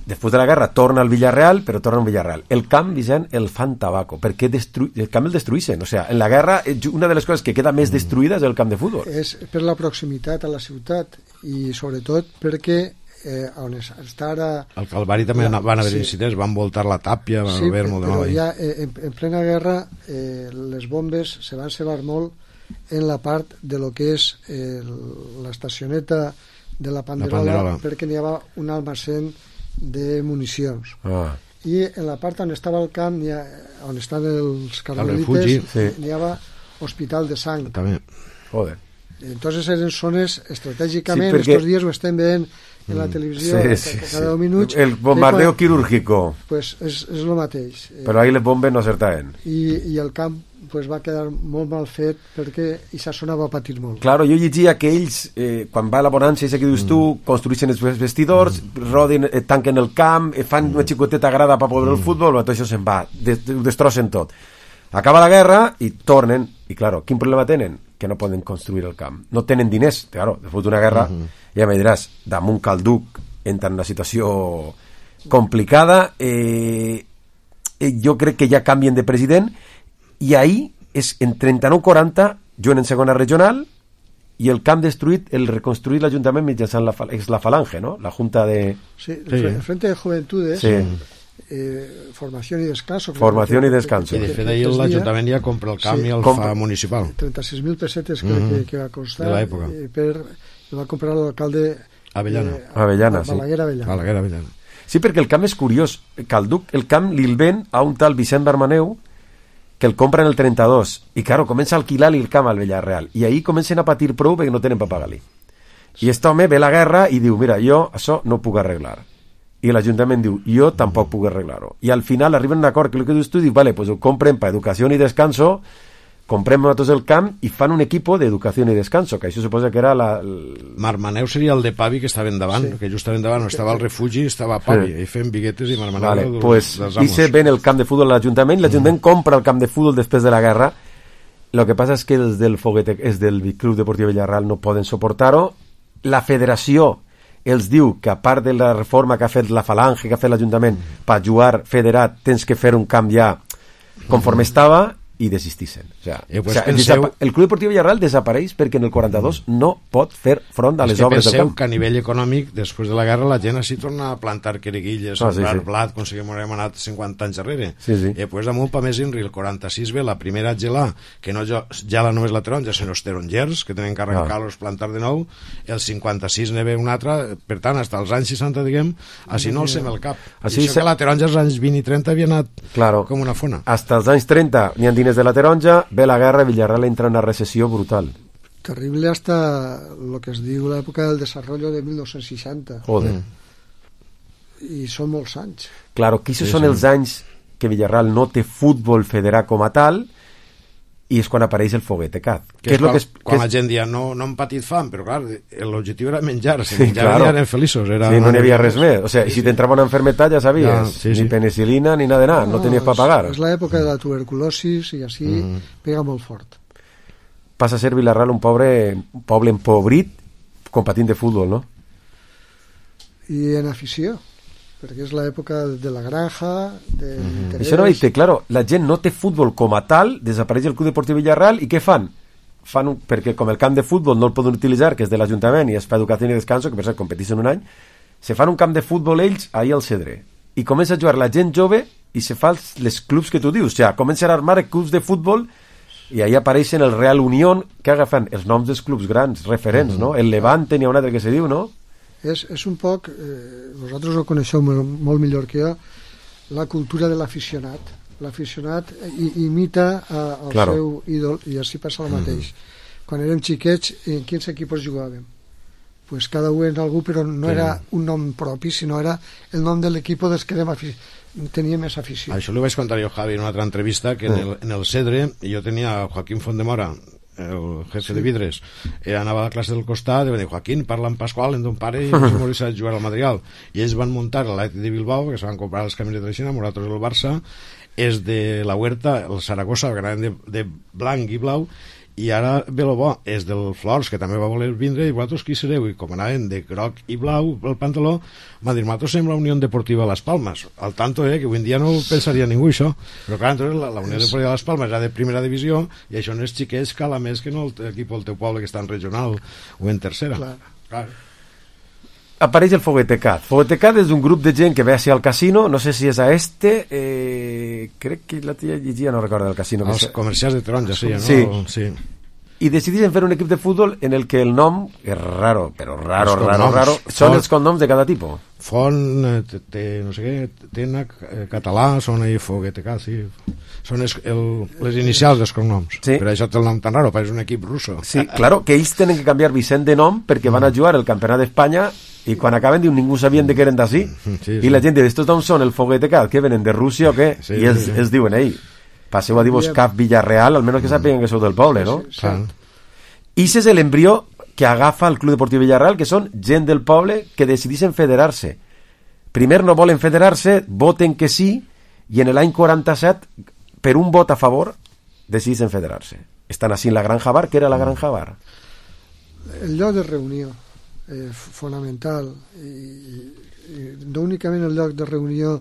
després de la guerra torna al Villarreal, però torna al Villarreal. El camp, Vicent, el fan tabaco, perquè destru... el camp el destruïssin. O sea, en la guerra, una de les coses que queda més destruïda és el camp de futbol. És per la proximitat a la ciutat i sobretot perquè eh, on està ara... Al Calvari també ja, van haver sí. incidents, van voltar la tàpia, van sí, haver molt de mal. Sí, però ja eh, en, en plena guerra eh, les bombes se van cebar molt en la part de lo que és eh, l'estacioneta de la Panderola, la Panderola. Perquè n'hi havia un almacén de municions. Ah. I en la part on estava el camp, ha, on estan els carmelites, sí. n'hi havia hospital de sang. També. Joder. Entonces eren zones estratègicament, sí, perquè... estos dies ho estem veient en la televisió, sí, sí, cada deu minuts. El bombardeo quan... quirúrgico. Pues és, és el mateix. Però ahí les bombes no acertaven. I, i el camp pues, va quedar molt mal fet perquè aquesta zona va patir molt. Claro, jo llegia que ells, eh, quan va a la bonança, que dius mm. tu, construeixen els vestidors, mm. rodin, eh, tanquen el camp, eh, fan una xicoteta grada per poder mm. el futbol, tot això se'n va, des, destrossen tot. Acaba la guerra i tornen, i claro, quin problema tenen? Que no poden construir el camp. No tenen diners, claro, després d'una guerra, mm-hmm. ja me diràs, damunt Calduc entra en una situació complicada, eh, eh, jo crec que ja canvien de president, i ahir és en trenta-nou quaranta juguen en segona regional i el camp destruït, el reconstruït l'Ajuntament mitjançant la, és la Falange, no? La Junta de... Sí, el sí. Frente de Juventudes, sí. eh, formació i descanso. Formació i descanso. I de fet ahir l'Ajuntament ja compra el camp sí, i el compra. Fa municipal. trenta-sis mil pessetes crec mm-hmm. que, que va costar. De l'època. Eh, per, el va comprar l'alcalde... Avellana. Eh, Avellana, sí. Balaguer Avellana. Balaguer Avellana. Sí, perquè el camp és curiós. Calduc, el camp li'l ven a un tal Vicent Barmaneu, que el compra en el trenta-dos, i claro, comença a alquilar-li el camp al Villarreal, i ahir comencen a patir prou perquè no tenen per pagar-li. I aquest home ve la guerra i diu, mira, jo això no puc arreglar. I l'Ajuntament diu, jo tampoc puc arreglar-ho. I al final arriben a un acord que el que dius tu, diu, vale, pues ho compren per educació i descanso, comprem nosaltres el camp i fan un equip d'educació i descanso, que això suposa que era la... El... Marmaneu seria el de Pavi que estava endavant, sí. Que justament davant estava el refugi i estava Pavi, sí. I fent biguetes i Marmaneu... Vale, dels, pues dice ven el camp de futbol a l'Ajuntament, l'Ajuntament mm. compra el camp de futbol després de la guerra, lo que passa és que els del Foguete, és del Club Deportiu Villarreal no poden suportar-ho, la federació els diu que a part de la reforma que ha fet la Falange, que ha fet l'Ajuntament, mm. per jugar federat tens que fer un camp ja conforme mm. estava, i desistixen. O sea, eh, pues o sea, penseu... el, el Club Deportiu Villarreal desapareix perquè en el quaranta-dos mm. no pot fer front a les obres del camp. Que a nivell econòmic, després de la guerra, la gent així torna a plantar queriguilles, ah, a sembrar sí, sí. blat, com si hem anat cinquanta anys darrere. Sí, sí. I després damunt, pa més Inri, el quaranta-sis ve la primera gelà, que no gela només la taronja, sinó els tarongers, que tenen que arrencar-los, ah. plantar de nou, el cinquanta-sis ne ve una altra, per tant, fins als anys seixanta, diguem, així no alcem el cap. Així I això se... que la taronja als anys vint i trenta havia anat claro. Com una fona. Hasta els anys trenta n'hi ha diners de la taronja, ve la guerra, Villarreal entra en una recessió brutal. Terrible hasta lo que es diu l'època del desarrollo de mil nou-cents seixanta. Joder. I són molts anys. Claro, que aquests sí, són sí. els anys que Villarreal no té futbol federat com a tal, i és quan apareix el Foguetecat. Que, que és, quan, que és, quan que és... la gent dia no, no hem patit fam, però clar, l'objectiu era menjar, si sí, menjaven claro. eren feliços. Era sí, no n'hi havia res més. O sea, sí, si t'entrava una enfermetat ja sabies, ja, sí, sí. ni penicilina ni nada de nada, no, no tenies per pagar. És l'època de la tuberculosis i així mm. pega molt fort. Passa a ser Vila-real un pobre un poble empobrit compatint de futbol, no? I en afició, perquè és l'època de la granja, de mm-hmm. Això no dice, claro, la gent no té futbol com a tal, desapareix el Club Deportiu Villarreal i què fan? Fan un, perquè com el camp de futbol no el poden utilitzar, que és de l'Ajuntament i és per educació i descanso, que per cert competeixen un any, se fan un camp de futbol ells ahir al Cedre i comença a jugar la gent jove i se fan les clubs que tu dius, o sigui, comencen a armar clubs de futbol i ahí apareixen el Real Unión, que agafen els noms dels clubs grans, referents, mm-hmm. no? El Levante, n'hi ha un altre que se diu, no? És, és un poc, eh, vosaltres ho coneixeu molt, molt millor que jo, la cultura de l'aficionat. L'aficionat imita a, el claro. seu ídol i així passa el mateix. Mm. Quan érem xiquets, en quins equips jugàvem? Pues cada un en algú, però no sí. era un nom propi, sinó era el nom de l'equip dels que tenia més afició. Això li vaig contar jo, Javi, en una altra entrevista, que en el, en el Cedre jo tenia a Joaquín Fondemora, el jefe sí. de vidres, eh, anava a la classe del costat i va dir, Joaquín, parla amb Pasqual, en ton pare, i ens morir a jugar al Madrigal. I ells van muntar l'Atlètic de Bilbao, que se van comprar els camins de Treixina, nosaltres el Barça, és de la Huerta, el Saragossa, el gran de, de blanc i blau, i ara ve lo bo, és del Flors, que també va voler vindre, i vosaltres qui sereu? I com anaven de groc i blau el pantaló, m'ha dit, nosaltres som la Unió Deportiva Las Palmas. Al tanto, eh, que avui en dia no pensaria ningú això, però clar, entonces la, la Unió Deportiva Las Palmas era de primera divisió, i això no és xiquets cala més que no l'equip del teu poble que està en regional o en tercera. Clar. Clar. Apareix el Foguetecat. Foguetecat és un grup de gent que ve hacia el casino, no sé si és a este, eh, crec que la tia llegia, no recordo el casino. Els que comercials de taronja, sí, no? Sí. sí. I decideixen fer un equip de futbol en el que el nom és raro, però raro, raro, raro, són els cognoms de cada tipus. Font, te, no sé què, Tena, català, són ahí Foguetecat, sí. Són es, el, les inicials dels cognoms. Sí. Per això té el nom tan raro, pareix un equip russo. Sí, claro, que ells tenen que canviar Vicent de nom perquè van a jugar el Campionat d'Espanya i quan acaben diu ningú sabien de què eren d'ací. Sí, sí. I la gent diu, estos noms són el Foguetecat, que venen de Rússia o què? Sí, I els, sí, sí. els diuen, ei, passeu a dir-vos Cap Villarreal, almenys que sàpiguen que sou del poble, no? Sí, sí, sí. I ese és l'embrió que agafa el Club Deportiu Villarreal, que són gent del poble que decideixen federar-se. Primer no volen federar-se, voten que sí, i en l'any quaranta-set, per un vot a favor, decideixen federar-se. Estan així en la Granja Bar, que era la Granja Bar. El lloc de reunió, eh, fonamental, i, i no únicament el lloc de reunió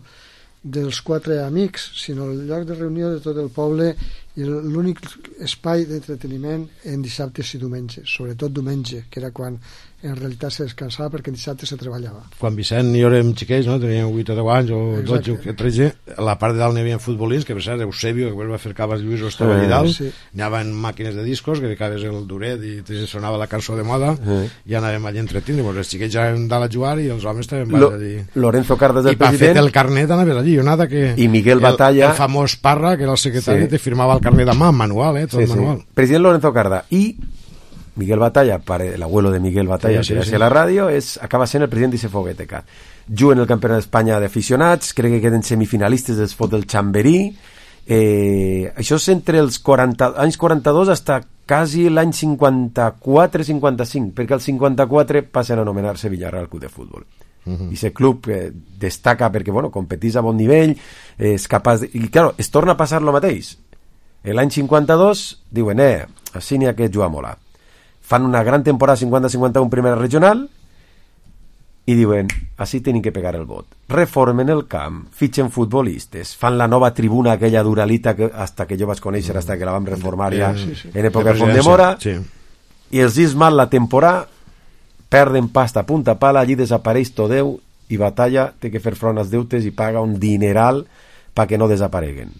dels quatre amics, sinó el lloc de reunió de tot el poble i l'únic espai d'entreteniment en dissabtes i diumenges, sobretot diumenge, que era quan en realitat se descansava perquè dissabte se treballava. Quan Vicent i jo érem xiquets, no? Teníem vuit o deu anys o dotze o tretze, a la part de dalt n'hi havia futbolins, que per cert Eusebio, que va fer Cabas Lluís o estava allà dalt, sí. Anaven màquines de discos, que ficaves el duret i te sonava la cançó de moda, sí. I anàvem allà entretint, i els xiquets ja anaven dalt a jugar i els homes estaven Lo, allí. Lorenzo Cardes del I president. I per fer el carnet anaves allí, nada que... I Miguel Batalla... El, el famós Parra, que era el secretari, sí. Te firmava el carnet de mà, manual, eh, tot sí, manual. Sí. President Lorenzo Carda i Miguel Batalla, el abuelo de Miguel Batalla, sí, sí, que sí. La ràdio, és, acaba sent el president d'Ice Foguetecat. Juguen el Campionat d'Espanya d'aficionats, crec que queden semifinalistes dels Fots del Chamberí. Eh, això és entre els quaranta, anys quaranta-dos fins quasi l'any cinquanta-quatre cinquanta-cinc, perquè al cinquanta-quatre passen a anomenar-se Villarreal Club de Futbol. Uh-huh. I aquest club eh, destaca perquè bueno, competís a bon nivell, eh, és capaç de... I claro, es torna a passar el mateix. L'any cinquanta-dos diuen, eh, així n'hi ha que jugar molt. Fan una gran temporada cinquanta cinquanta-un primera regional i diuen, així tenim que pegar el vot. Reformen el camp, fitxen futbolistes, fan la nova tribuna aquella duralita que hasta que jo vaig conèixer, hasta que la vam reformar ja sí, sí. En època de Fondemora, sí. I els dis mal la temporada, perden pasta a punta pala, allí desapareix Todeu i Batalla té que fer front als deutes i paga un dineral perquè no desapareguen.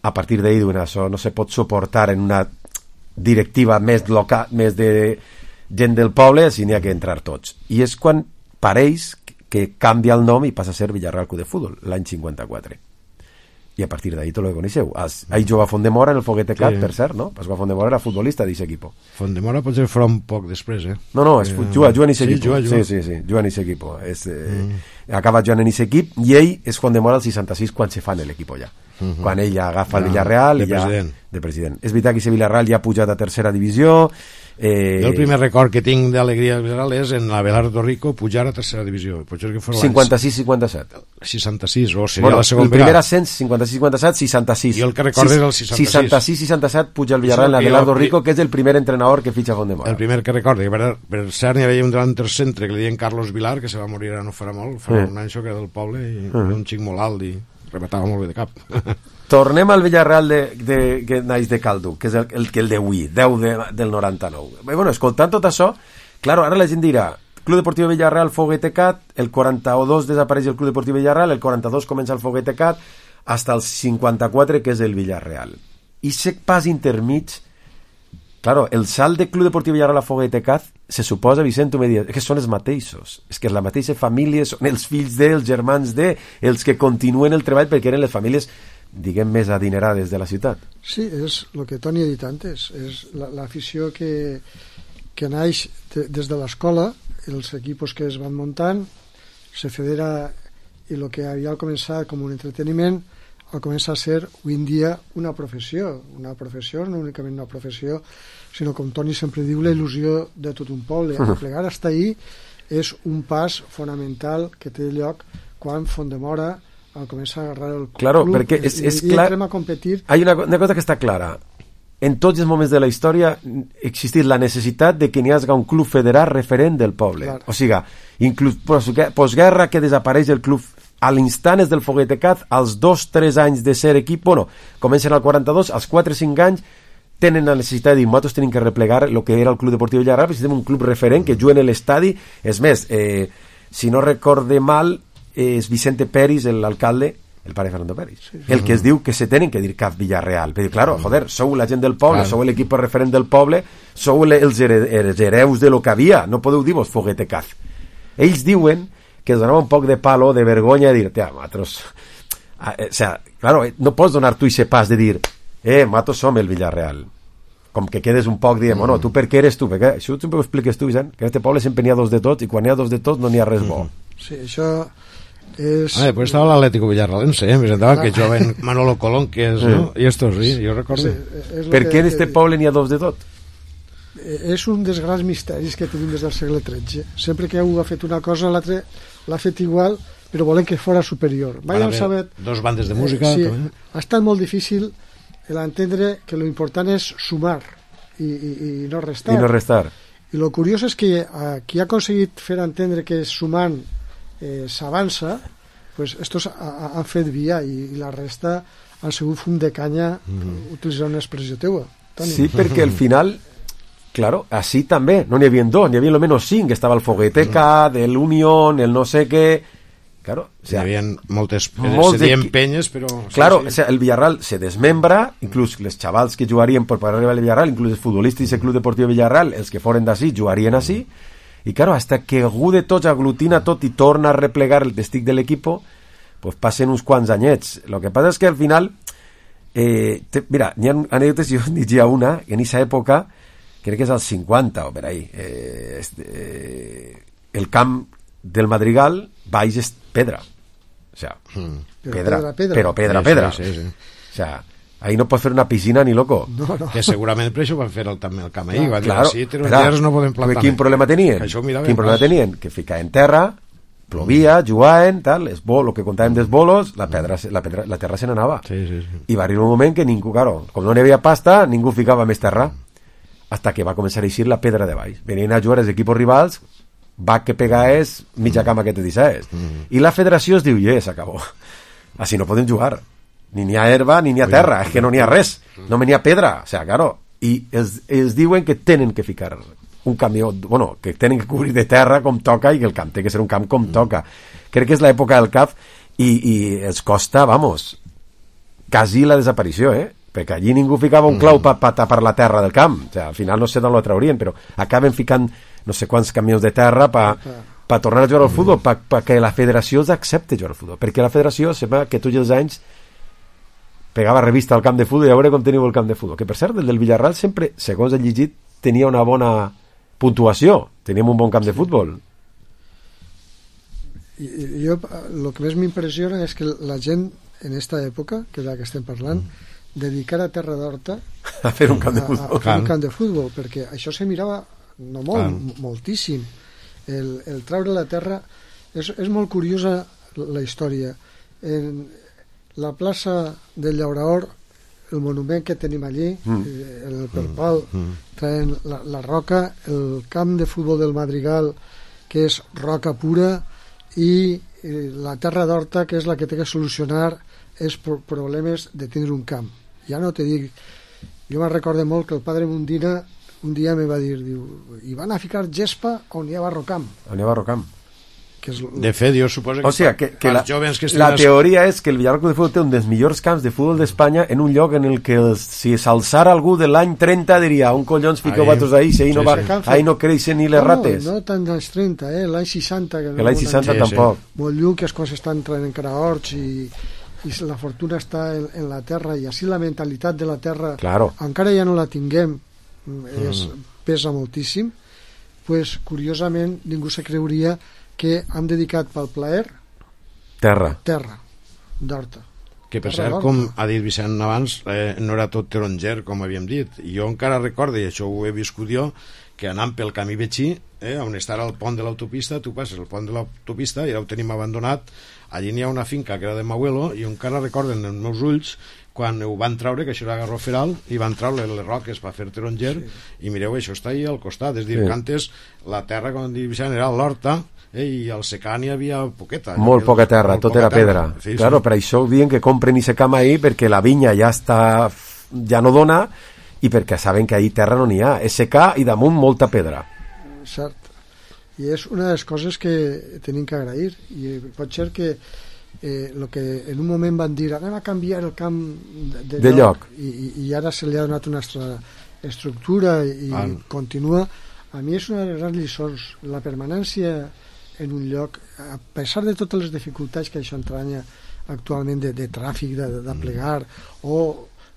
A partir d'ahir diuen, això no se pot suportar en una directiva més local, més de gent del poble, així n'hi ha que entrar tots. I és quan pareix que canvia el nom i passa a ser Villarreal Club de Futbol, l'any cinquanta-quatre. I a partir d'ahí tot lo que coneixeu. Ahí juga Fondemora en el Foguetecat, sí. Per cert, no? Pasqual Fondemora era futbolista d'aquest equip. Fondemora potser farà un poc després, eh? No, no, és, eh, juga, juga en aquest sí, equip. Juga, juga. Sí, sí, sí, juga en aquest equip. És, eh, mm. Acaba jugant en aquest equip i ell és Fondemora al seixanta-sis quan se fa en l'equip ja. uh-huh. quan ell agafa el Villarreal de i ja, president. de president. És veritat que aquest Villarreal ja ha pujat a tercera divisió. Eh... Jo el primer record que tinc d'alegria del Villarreal és en l'Abelardo Rico pujar a tercera divisió. Potser que fos cinquanta-sis cinquanta-set. seixanta-sis, o seria bueno, la segona el primer ascens, cinquanta-sis cinquanta-set, seixanta-sis. Jo el que recordo és el seixanta-sis. seixanta-sis seixanta-set puja el Villarreal en l'Abelardo Rico, que és el primer entrenador que fitxa Fondemora. El primer que recordo, que per, per cert n'hi havia un delanter centre que li deien Carlos Vilar, que se va morir ara no farà molt, fa sí. un any que era del poble, i uh-huh. era un xic molt alt i rematava molt bé de cap. Tornem al Villarreal de, de, que naix de Calduc, que és el, el, el d'avui, deu de, del noranta-nou. Bé, bueno, escoltant tot això, claro, ara la gent dirà, Club Deportiu Villarreal, Foguetecat, el quaranta-dos desapareix el Club Deportiu Villarreal, el quaranta-dos comença el Foguetecat, hasta el cinquanta-quatre, que és el Villarreal. I sec pas intermig, claro, el salt de Club Deportiu Villarreal a Foguetecat, se suposa, Vicent, tu me dius, que són els mateixos, és que és la mateixa família, són els fills de, els germans de, els que continuen el treball perquè eren les famílies, diguem, més adinerades de la ciutat. Sí, és el que Toni ha dit antes, és l'afició que, que naix de, des de l'escola, els equipos que es van muntant, se federa, i el que havia començat com un entreteniment, al començar a ser, avui en dia, una professió, una professió, no únicament una professió, sinó, com Toni sempre diu, la il·lusió de tot un poble. Uh-huh. Plegar hasta ahí és un pas fonamental que té lloc quan Fondemora al començar a agarrar el club, claro, perquè és, és i, clar, i entrem a competir. Hay una, una cosa que està clara. En tots els moments de la història ha existit la necessitat de que n'hi hagi un club federat referent del poble. Clar. O sigui, inclús postguerra que desapareix el club a l'instant és del Foguetecat, als dos o tres anys de ser equip, bueno, comencen al quaranta-dos, als quatre o cinc anys tenen la necessitat de dir, nosaltres tenim que replegar el que era el Club Deportiu Villarreal, necessitem un club referent que juguen a l'estadi. És més, eh, si no recorde mal, és Vicente Peris, l'alcalde, el pare Fernando Peris, sí, sí. el que es diu que se tenen que dir C A F Villarreal, perquè, claro, joder, sou la gent del poble, claro. Sou l'equip referent del poble, sou els, here els hereus de lo que havia, no podeu dir-vos Foguetecat. Ells diuen que es donava un poc de palo, de vergonya, de dir, tia, nosaltres... O sea, claro, no pots donar tu ese pas de dir, eh, nosaltres som el Villarreal. Com que quedes un poc dient, bueno, tu per què eres tu? Perquè això sempre ho expliques tu, Vicent, que en este poble sempre n'hi ha dos de tots, i quan n'hi ha dos de tots no n'hi ha res bo. Sí, això... És... Ah, pues estaba l'Atlético Villarrealense, ¿eh? Me sentaba que joven Manolo Colón, que es, sí. ¿no? Y estos, sí, yo recuerdo. Sí, per què en este poble n'hi ha dos de tot? És un dels grans misteris que tenim des del segle tretze. Sempre que algú ha fet una cosa, l'altre l'ha fet igual, però volen que fora superior. Mai han sabut... Dos bandes de música. Eh, sí, també. Ha estat molt difícil l'entendre que lo important és sumar i, i, i no restar. I no restar. I lo curiós és que eh, qui ha aconseguit fer entendre que sumant eh, s'avança, pues estos ha, han fet via i, i la resta han sigut fum de canya, mm. utilitzant una expressió teua. Toni. Sí, perquè al final, claro, així també, no n'hi havia dos, n'hi havia almenys cinc, estava el Foguetecat, el Unión, el no sé què, claro, o sea, hi havia moltes, molts se deien de... penyes, però... Claro, sí, sí. O sea, el Villarreal se desmembra, inclús les xavals que jugarien per arribar al Villarreal, inclús els futbolistes del Club Deportiu Villarreal, els que foren d'ací, jugarien així, i claro, hasta que algú de tots aglutina tot i torna a replegar el testic de l'equipo, pues passen uns quants anyets. Lo que passa és que al final, eh, te, mira, n'hi ha anècdotes, jo diria una, que en aquesta època, crec que és als cinquanta o per ahí, eh, este, eh, el camp del Madrigal baix és pedra. O sea, mm. pedra, pedra, pedra, però pedra, sí, pedra. Sí, sí, sí. O sea, ahí no pots fer una piscina ni loco. No, no. Que segurament per això van fer el, també el camp ahí. Ah, van claro, dir, sí, però no podem plantar. Quin problema tenien? Quin problema tenien? Que ficar en terra, plovia, jugaven, tal, es bo, el que contàvem dels bolos, la, pedra, la, pedra, la terra se n'anava. Sí, sí, sí. I va arribar un moment que ningú, claro, com no n'hi havia pasta, ningú ficava més terra, hasta que va començar a eixir la pedra de baix. Venien a jugar els equipos rivals, va que pegaés mitja cama que te dissaés. Mm. I la federació es diu, ja, s'acabó. Així no podem jugar. Ni n'hi ha herba, ni n'hi ha terra, és que no n'hi ha res. No n'hi ha pedra, o sea, claro. I els, els diuen que tenen que ficar un camió, bueno, que tenen que cobrir de terra com toca i que el camp té que ser un camp com toca. Crec que és l'època del C A F i, i els costa, vamos, quasi la desaparició, eh? Perquè allí ningú ficava un clau per pa tapar la terra del camp. O sea, al final no sé d'on lo traurien, però acaben ficant no sé quants camions de terra per pa tornar a jugar al futbol, perquè la federació accepti jugar al futbol. Perquè la federació sembla que tots els anys pegava revista al camp de futbol i a veure com teniu el camp de futbol. Que per cert, el del Villarreal sempre, segons he llegit, tenia una bona puntuació, teníem un bon camp de futbol. I, jo, el que més m'impressiona és que la gent en esta època, que és la que estem parlant, dedicar a Terra d'Horta a fer un camp de futbol, a, a fer un camp de futbol, perquè això se mirava no molt, ah. moltíssim. El, el treure la terra és, és molt curiosa la història. En la plaça del Llauraor, el monument que tenim allí, mm. el, per qual mm. traen la, la roca, el camp de futbol del Madrigal, que és roca pura, i la Terra d'Horta, que és la que té que solucionar els problemes de tindre un camp. Ja no te dic, jo me'n recordo molt que el padre Mundina un dia me va dir, diu, i van a ficar gespa on hi ha barrocamp. On hi ha barrocamp. Que és... De fet, jo suposo que, o sigui, que, que els la, jovens que la teoria és que el Villarroca de Futbol té un dels millors camps de futbol d'Espanya en un lloc en el que els, si s'alçara algú de l'any trenta diria, un collons fiqueu vosaltres ahí, si ahí, sí, no, va, sí. ahí no creixen ni les no, rates. No, no tant dels trenta, eh? l'any seixanta. Que, que l'any seixanta sí, tampoc. Sí. Molt lluny, que és quan s'estan entrant encara horts i, i la fortuna està en, en la terra, i així la mentalitat de la terra, claro. encara ja no la tinguem, és, mm. pesa moltíssim, pues, curiosament ningú se creuria que han dedicat pel plaer terra, terra d'Horta. Que per cert, com ha dit Vicent abans, eh, no era tot taronger, com havíem dit. Jo encara recordo, i això ho he viscut jo, que anant pel camí Betxí, eh, on està el pont de l'autopista, tu passes el pont de l'autopista i ja ho tenim abandonat, allí n'hi ha una finca que era de m'abuelo, i encara recorden els meus ulls quan ho van traure, que això era garroferal, i van traure les roques per fer taronger, sí. I mireu, això està ahí al costat, és dir, sí. que antes la terra, com diu Vicent, era l'horta, eh, i al secà n'hi havia poqueta. Molt poca terra, molt tot poca era terra. pedra. Sí, claro, sí. Per això diuen que compren i se cam ahí, perquè la vinya ja està, ja no dona, i perquè saben que ahí terra no n'hi ha. És secà i damunt molta pedra. Cert. I és una de les coses que tenim que agrair. I pot ser que eh, lo que en un moment van dir anem a canviar el camp de, de, de lloc, lloc. I, i ara se li ha donat una estructura i ah. continua. A mi és una de les grans lliçons, la permanència en un lloc, a pesar de totes les dificultats que això entranya actualment de, de tràfic, de, de plegar o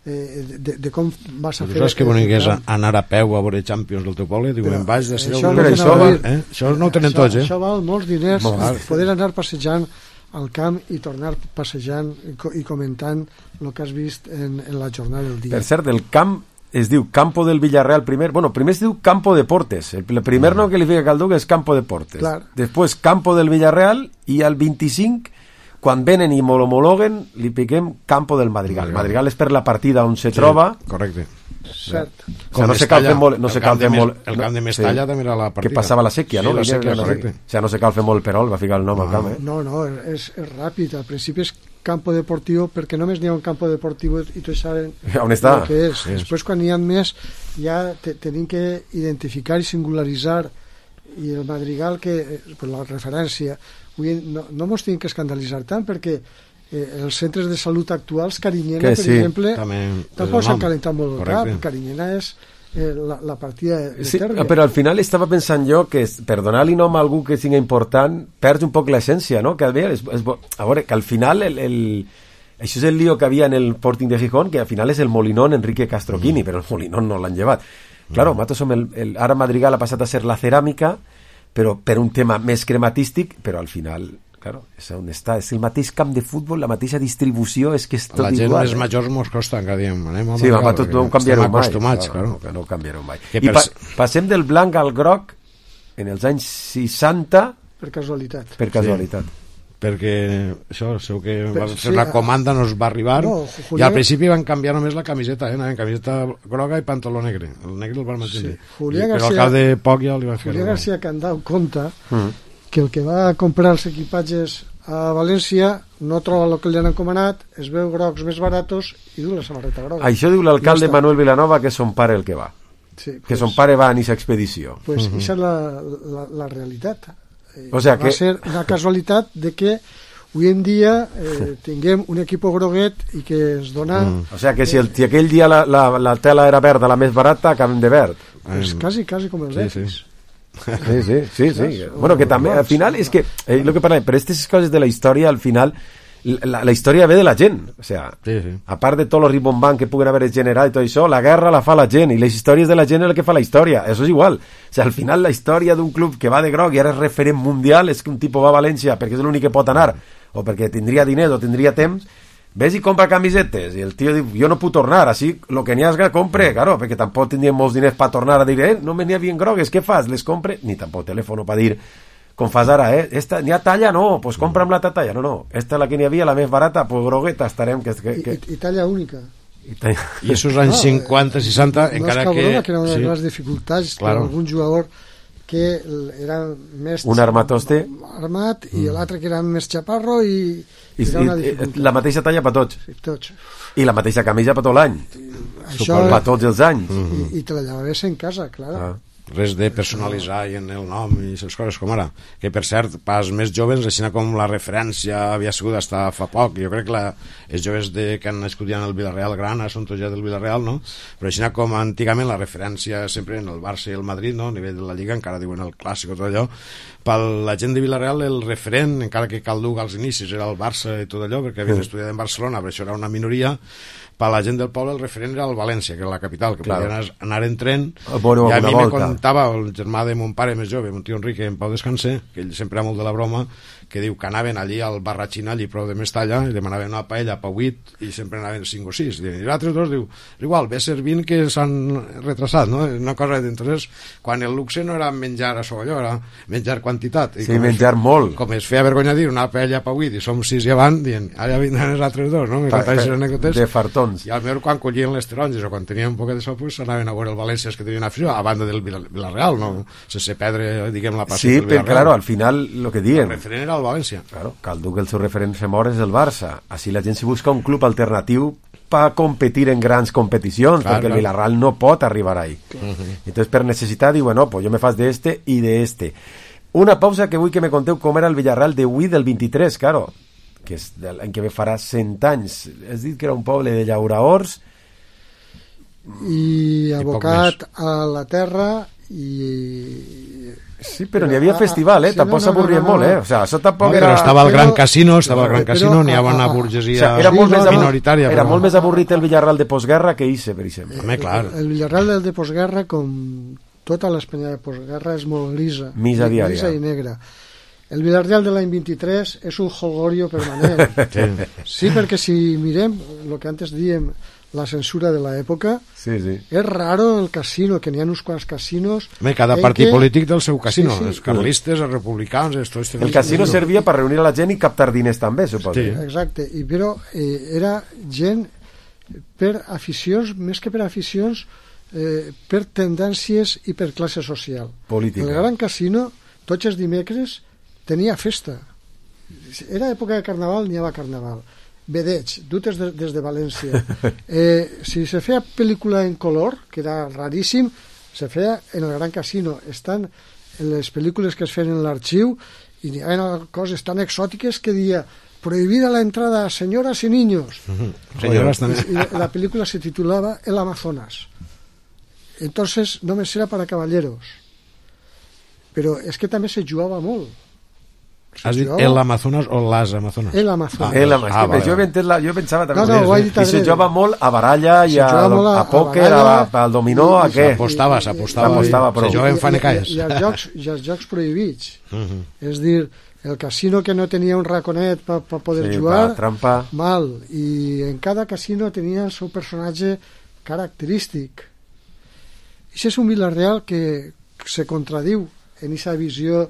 eh, de, de com vas a però fer... Saps que bonic és anar a peu a veure Champions del teu poble? Diuen, en baix de ser... Això, no això, val, eh? això no ho tenen això, tots, eh? Això val molts diners, Molt poder anar passejant al camp i tornar passejant i, i comentant el que has vist en, en la jornada del dia. Per cert, el camp es diu Campo del Villarreal primer, bueno, primer es diu Campo Deportes, el primer nom que li fica Calduc és Campo Deportes, clar. Després Campo del Villarreal, i al vint-i-cinc quan venen i m'homologuen li piquem Campo del Madrigal. Madrigal, Madrigal és per la partida on se sí, troba, correcte. Cert. O sea, no se calfen molt, no se calfen molt. El camp de Mestalla també era la partida. Que passava la sèquia, sí, no? La sèquia, no, correcte. O sea, no se calfen molt el Perol, va ficar el nom no, al camp, eh? No, no, és, és ràpid. Al principi és campo deportiu, perquè només n'hi ha un campo deportiu i tots saben on està. El que és. Sí. Després, quan n'hi ha més, ja te, tenim que identificar i singularitzar, i el Madrigal, que per la referència, no, no mos tenim que escandalitzar tant, perquè eh, els centres de salut actuals, Carinyena, que per sí, exemple, tampoc s'han calentat molt el cap. Carinyena és eh, la, la partida de sí, terra. Però al final estava pensant jo que per donar-li nom a algú que sigui important perds un poc l'essència, no? Que, a veure, és, és, a veure, que al final el, el, això és el lío que havia en el Sporting de Gijón, que al final és el Molinón Enrique Castroquini, mm. però el Molinón no l'han llevat. Mm. Claro, nosaltres som el, el, ara Madrigal ha passat a ser la ceràmica, però per un tema més crematístic, però al final, claro, és on està, és el mateix camp de futbol, la mateixa distribució, és que és tot igual. La gent igual, més eh? majors mos costa, encara diem, anem a sí, va, tot, no ho canviareu mai. Acostumats, claro, claro. No ho canviareu mai. Que I per... pa passem del blanc al groc en els anys seixanta per casualitat. Per casualitat. Sí. Perquè això, seu que per, va fer sí, una comanda, no es va arribar, no, Julià... i al principi van canviar només la camiseta, eh? Anaven camiseta groga i pantaló negre. El negre el van mantenir. Sí. Julià I, García, però al cap de poc ja li van fer... Julià García Candau conta mm. que el que va comprar els equipatges a València no troba el que li han encomanat, es veu grocs més baratos i du la samarreta groga. Això diu l'alcalde no Manuel Vilanova, que son pare el que va. Sí, que pues, son pare va en aquesta expedició. Pues uh-huh. Esa és la, la, la realitat. O sea va que... ser una casualitat de que avui en dia eh, tinguem un equip groguet i que es dona... Mm. O sea que si, el, si aquell dia la, la, la tela era verda, la més barata, acabem de verd. Pues quasi, quasi com els sí, sí. Sí, sí, sí, sí. Bueno, que també, al final, és que, eh, lo que parlem, per aquestes coses de la història, al final, la, la història ve de la gent. O sea, sí, sí. a part de tot el ribombant que puguen haver generat i tot això, la guerra la fa la gent, i les històries de la gent és el que fa la història. Això és igual. O sea, al final, la història d'un club que va de groc i ara és referent mundial, és que un tipus va a València perquè és l'únic que pot anar, o perquè tindria diners o tindria temps, ves i compra camisetes, i el tio diu, jo no puc tornar, així, lo que n'hi ha que compre, claro, perquè tampoc tindria molts diners per tornar a dir, eh, no me n'hi havia grogues, què fas? Les compre, ni tampoc telèfon per dir, com fas ara, eh, esta, n'hi ha talla? No, pues compra'm la talla, no, no, esta la que n'hi havia, la més barata, pues grogueta, estarem... Que, que, que... I, i talla única. I, talla... I esos anys no, cinquanta, seixanta, no encara que... No és que era una de les dificultats, claro. Que algun jugador que era més... Un armatoste. Armat, i mm. l'altre que era més xaparro, i... I, era una i la mateixa talla per tots. Sí, tots. I la mateixa camisa per tot l'any. Això... Per tots els anys. I, i te la llevaves en casa, clar. Ah. Res de personalitzar i en el nom i les coses com ara, que per cert pas més joves, així com la referència havia sigut fins fa poc, jo crec que la, els joves de, que han nascut ja en el Villarreal Grana són tots ja del Villarreal, no? Però així com antigament la referència sempre en el Barça i el Madrid, no? A nivell de la Lliga encara diuen el clàssic o tot allò, per la gent de Villarreal el referent, encara que Calduc als inicis era el Barça i tot allò, perquè havien estudiat en Barcelona, però això era una minoria. Per la gent del poble el referent era el València, que era la capital, que claro. Podien anar en tren. Bueno, i a mi volta. me contava el germà de mon pare més jove, un tio Enrique, en Pau Descanse, que ell sempre era molt de la broma, que diu que anaven allí al Barratxina, allí prou de Mestalla, i demanaven una paella per vuit, i sempre anaven cinc o sis. I els altres dos diu, igual, ve servint que s'han retrasat, no? Una cosa d'entonces, quan el luxe no era menjar a allò, era menjar quantitat. I sí, menjar es, molt. Com es feia vergonya dir una paella per vuit, i som sis i avant, dient, ara vindran els altres dos, no? Pa, pa, de fartons. I al millor quan collien les taronges o quan tenien un poc de sol, pues anaven a veure el València que tenien afició, a banda del Villarreal, no? Sense perdre, diguem, la passió sí, del Villarreal. Sí, però claro, al final, lo que diuen... El referent era el València. Claro, Calduc el seu referent se mor és el Barça. Així la gent si busca un club alternatiu per competir en grans competicions, clar, perquè clar. El Villarreal no pot arribar ahí. Uh -huh. Entonces, per necessitat, diu, bueno, pues jo me fas de este i de este. Una pausa que vull que me conteu com era el Villarreal de avui del vint-i-tres, claro, que és l'any que ve farà cent anys. Has dit que era un poble de llauraors i abocat a la terra i... Sí, però n'hi havia festival, eh? Sí, tampoc no, s'avorrien no, no, no, molt, eh? O sea, això tampoc no, era... Però estava el Gran Casino, estava el Gran Casino, n'hi havia una burgesia, o sea, era molt més minoritària. Era però... molt més avorrit el Villarreal de postguerra que Ise, per exemple. Home, clar. El, el Villarreal de postguerra, com tota l'Espanya de postguerra, és molt grisa. Misa diària. Grisa i negra. El Villarreal de l'any vint-i-tres és un jolgorio permanent. sí. sí, perquè si mirem el que antes diem, la censura de l'època, sí, sí. és raro el casino, que n'hi ha uns quants casinos. Home, cada partit que... polític del seu casino, sí, sí. Els carlistes, els republicans... Els tots el casino servia per reunir a la gent i captar diners també, suposo. Sí. Exacte, i però eh, era gent per aficions, més que per aficions, eh, per tendències i per classe social. Política. El Gran Casino, tots els dimecres, tenia festa. Era època de carnaval, n'hi havia carnaval. Vedeig, dutes de, des de València. Eh, si se feia pel·lícula en color, que era raríssim, se feia en el Gran Casino. Estan en les pel·lícules que es feien en l'arxiu i hi havia coses tan exòtiques que deia prohibida la entrada a señoras y niños. Uh-huh. Señoras también. Y la película se titulaba El Amazonas. Entonces només era para caballeros. Però és que també se jugava molt. Has dit el Amazonas o les Amazonas? El Amazonas. Ah, el Amazonas. Ah, vale. jo, la, jo pensava també... No, no, ho he dit I se jugava molt a baralla i a, a, a pòquer, al dominó, a què? S'apostava, s'apostava. Se jugava en fanecaes. I, i, i, els jocs, i els jocs prohibits. Uh -huh. És dir, el casino que no tenia un raconet per pa poder sí, jugar, trampa. Mal. I en cada casino tenia el seu personatge característic. I això és un Villarreal que se contradiu en aquesta visió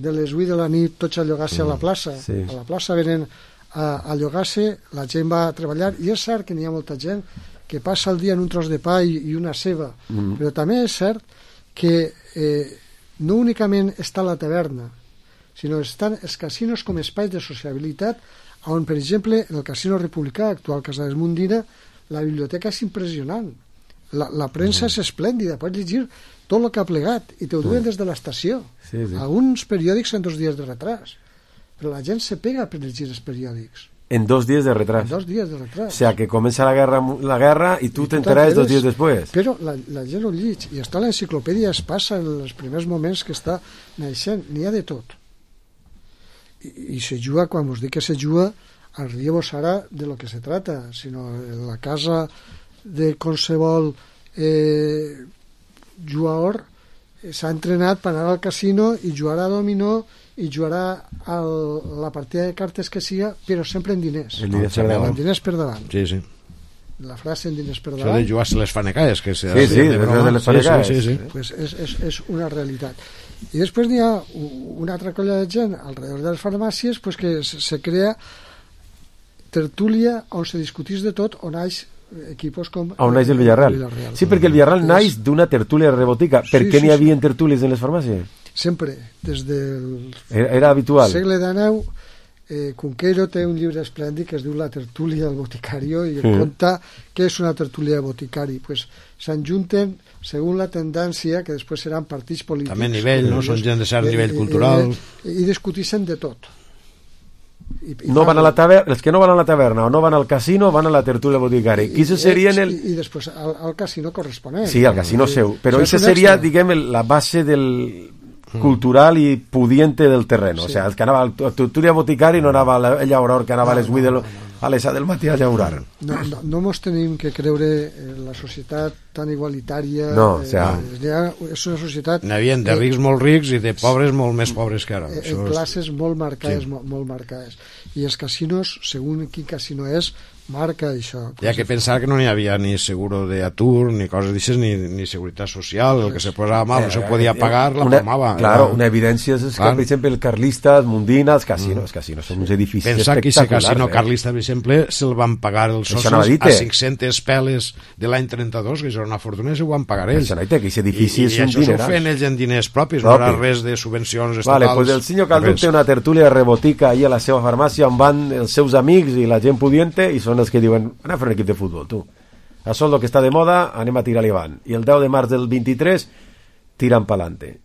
de les vuit de la nit tots a llogar-se mm, a la plaça. Sí. A la plaça venen a, a llogar-se, la gent va a treballar, i és cert que n'hi ha molta gent que passa el dia en un tros de pa i, i una ceba, mm. però també és cert que eh, no únicament està la taverna, sinó estan els casinos com espais de sociabilitat, on, per exemple, en el Casino Republicà, actual Casa Desmundina, la biblioteca és impressionant. La, la premsa mm. és esplèndida, pots llegir tot el que ha plegat i te ho duen mm. des de l'estació. Sí, sí. Alguns periòdics en dos dies de retras, però la gent se pega per llegir els periòdics. En dos dies de retras. En dos dies de retras. O sea, que comença la guerra, la guerra i tu t'enteraràs dos dies després. Però la, la gent ho llig, i està a l'enciclopèdia, es passa en els primers moments que està naixent, n'hi ha de tot. I, i se juga, quan us dic que se juga, al rieu ara de lo que se trata, sinó en la casa de qualsevol eh, jugador s'ha entrenat per anar al casino i jugar a dominó i jugarà el, la partida de cartes que siga, però sempre en diners. En diners per davant. En diners per davant. Sí, sí. La frase en diners per Això davant. de jugar-se les fanecaes, que sí, sí, de, de les fanecaes. Sí, sí, sí. Pues és, és, és una realitat. I després n'hi ha una altra colla de gent alrededor de les farmàcies pues, que se crea tertúlia on se discutís de tot, on naix equipos com... On naix el Villarreal. el Villarreal. Sí, perquè el Villarreal naix d'una tertúlia rebotica. Per Sí, què sí, n'hi sí. havia tertúlies en les farmàcies? Sempre, des del Era, era habitual. segle dinou, eh, Cunqueiro té un llibre esplèndid que es diu La tertúlia del boticario i Mm. conta què és una tertúlia de boticari. Pues s'enjunten segons la tendència, que després seran partits polítics. També nivell, no? Són gent de cert nivell cultural. I, i discutixen de tot. I, i No van a la taverna, els que no van a la taverna o no van al casino van a la tertúlia boticari. I, Qui serien el... I, i després al, al casino corresponent. Sí, al casino seu. Però Això això és un seria, extra. diguem, el- la base del cultural i pudiente del terreno. Sí. O sea, el que anava a la tertúlia boticari no anava a la- a llaurar, que anava a les vuit del, a les set del matí a llaurar. No, no, no mos tenim que creure en la societat tan igualitària. No, o sea- eh, ha, és una societat N'hi havia de rics molt rics i de pobres molt més pobres que ara. eh, Això en és- classes molt marcades, Sí. molt, molt marcades. I els casinos, segons quin casino és, marca això. Hi ha que pensar que no n'hi havia ni seguro de atur, ni coses d'aixes, ni, ni seguretat social. El que se posava mal no se podia pagar, la una, palmava. Claro, Era- una evidència és que, Clar. per exemple, el Carlista, el Mundina, els casinos, els casinos són uns edificis Pensar que aquest espectaculars. casino eh? carlista, per exemple, se'l van pagar els Això anava a socis dir-te. a cinc-centes peles de l'any trenta-dos, que això era una fortuna, i s'ho van pagar ells. Això no hi té, que aquest edifici I, és i un això s'ho dineral. feien ells en diners propis, Propi. no era res de subvencions estatals. Vale, pues el senyor Calduc res. té una tertúlia de rebotica ahí a la seva farmàcia on van els seus amics i la gent pudiente i són els que diuen, anem a fer un equip de futbol, tu. Això és el que està de moda, anem a tirar-li avant. I el deu de març del vint-i-tres tiran pa'lante.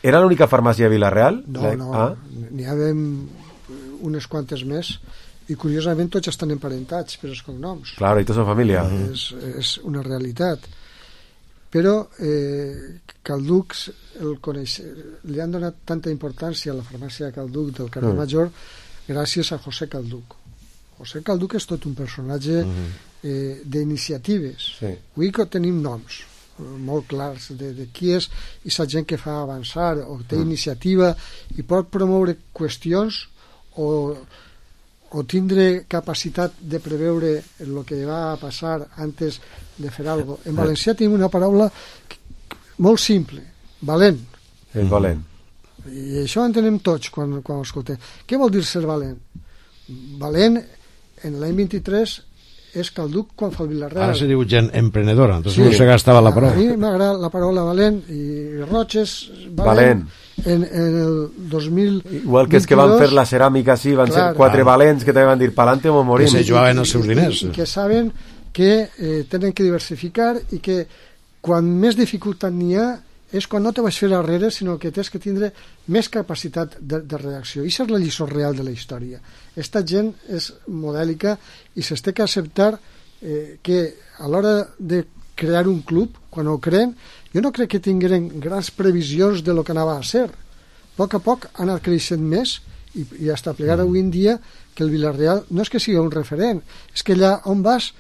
Era l'única farmàcia de Vilareal? No, La- no, Ah? n'hi ha unes quantes més i curiosament tots estan emparentats per els cognoms. Claro, i tots són família. És, és una realitat. Però eh, Calduc el coneix, li han donat tanta importància a la farmàcia de Calduc del carrer Mm. Major gràcies a José Calduc. José Calduc és tot un personatge eh, d'iniciatives. Sí. Avui que tenim noms eh, molt clars de, de qui és i la gent que fa avançar o té Mm. iniciativa i pot promoure qüestions o, o tindre capacitat de preveure el que va a passar antes de fer alguna cosa. En valencià tenim una paraula que- molt simple, valent. És valent. I això ho entenem tots quan, quan ho escoltem. Què vol dir ser valent? Valent en l'any vint-i-tres és Calduc quan fa el Vilareal. Ara se diu gent emprenedora, entonces no se gastava la A paraula. mi m'agrada la paraula valent i Roches valent, Valent. En, en el dos mil Igual que els que van fer la ceràmica, sí, van Clar. ser quatre valents que també van dir pa'lante o morim. Que se jugaven els seus diners. I, i que saben que eh, tenen que diversificar i que quan més dificultat n'hi ha és quan no te vas fer darrere, sinó que tens que tindre més capacitat de, de reacció. I això és la lliçó real de la història. Esta gent és modèlica i s'ha que acceptar eh, que a l'hora de crear un club, quan ho creen, jo no crec que tingueren grans previsions de lo que anava a ser. A poc a poc ha anat creixent més i, i hasta plegar avui en dia que el Vilareal no és que sigui un referent, és que allà on vas,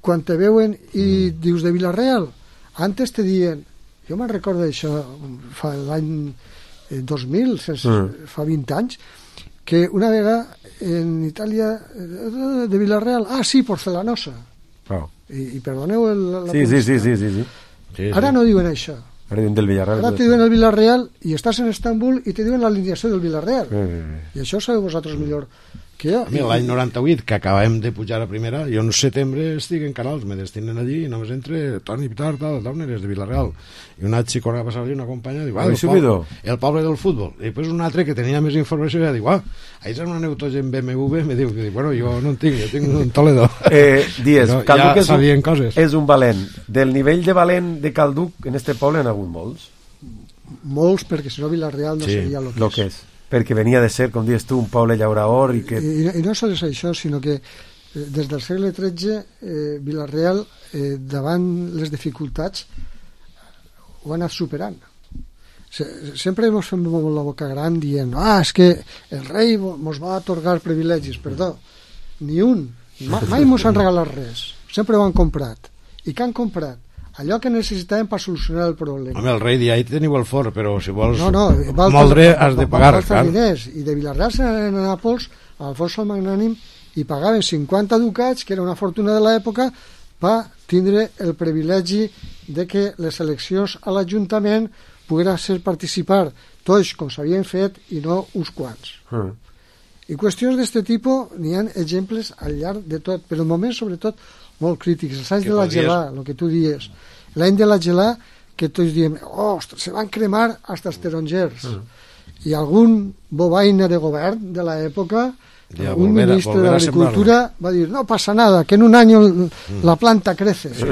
quan te veuen i dius de Vilareal, antes te diuen, jo me'n recordo d'això fa l'any eh, dos mil, sense, Mm. fa vint anys, que una vegada en Itàlia eh, de Vilareal, ah sí, Porcelanosa, Oh. i, i perdoneu el, la Sí, sí, sí, sí, sí, sí. Sí, ara sí. no diuen això, Ara diuen del Villarreal. ara te diuen el Vilareal i estàs en Estambul i te diuen l'alineació del Vilareal, Sí, sí, sí. i això ho sabeu vosaltres millor que jo. A mi l'any noranta-vuit, que acabàvem de pujar a primera, jo en setembre estic en Canals, me destinen allí i només entre Toni Pitar, tal, Tauner, és de Vilareal. I un altre corre a passar allí, una companya, diu, ah, Habéis el, poble, subido? el poble del futbol. I després un altre que tenia més informació, ja diu, ah, ahí és una neutogen B M W, me diu, bueno, jo no en tinc, jo tinc un Toledo. Eh, Dies, Però Calduc ja és, un, sabien coses. és un valent. Del nivell de valent de Calduc, en este poble han hagut molts. Molts, perquè si no Vilareal no Sí, seria el que, lo que és. Perquè venia de ser, com dius tu, un poble llauraor i que... I, i no sols això, sinó que eh, des del segle tretze eh, Vilareal, eh, davant les dificultats, ho ha anat superant. Se, sempre ens fem molt la boca gran dient, ah, és que el rei mos va atorgar privilegis. Perdó, ni un. Ma, mai mos han regalat res. Sempre ho han comprat. I què han comprat? allò que necessitàvem per solucionar el problema. Home, el rei dia, ahí teniu el fort, però si vols no, no, moldre has de pagar. Clar. Diners. I de Vilarreal se n'anaven a Nàpols, a Alfonso el Magnànim, i pagaven cinquanta ducats, que era una fortuna de l'època, per tindre el privilegi de que les eleccions a l'Ajuntament pogueren ser participar tots com s'havien fet i no uns quants. Mm. I qüestions d'aquest tipus n'hi ha exemples al llarg de tot, però en moments sobretot molt crítics. Els anys de la gelà, el que tu dies, l'any de la gelà, que tots diem, oh, se van cremar fins els tarongers. Mm. I algun bobaina de govern de l'època, ja, un volver, ministre de l'Agricultura va dir, no passa nada, que en un any mm. la planta crece. Sí.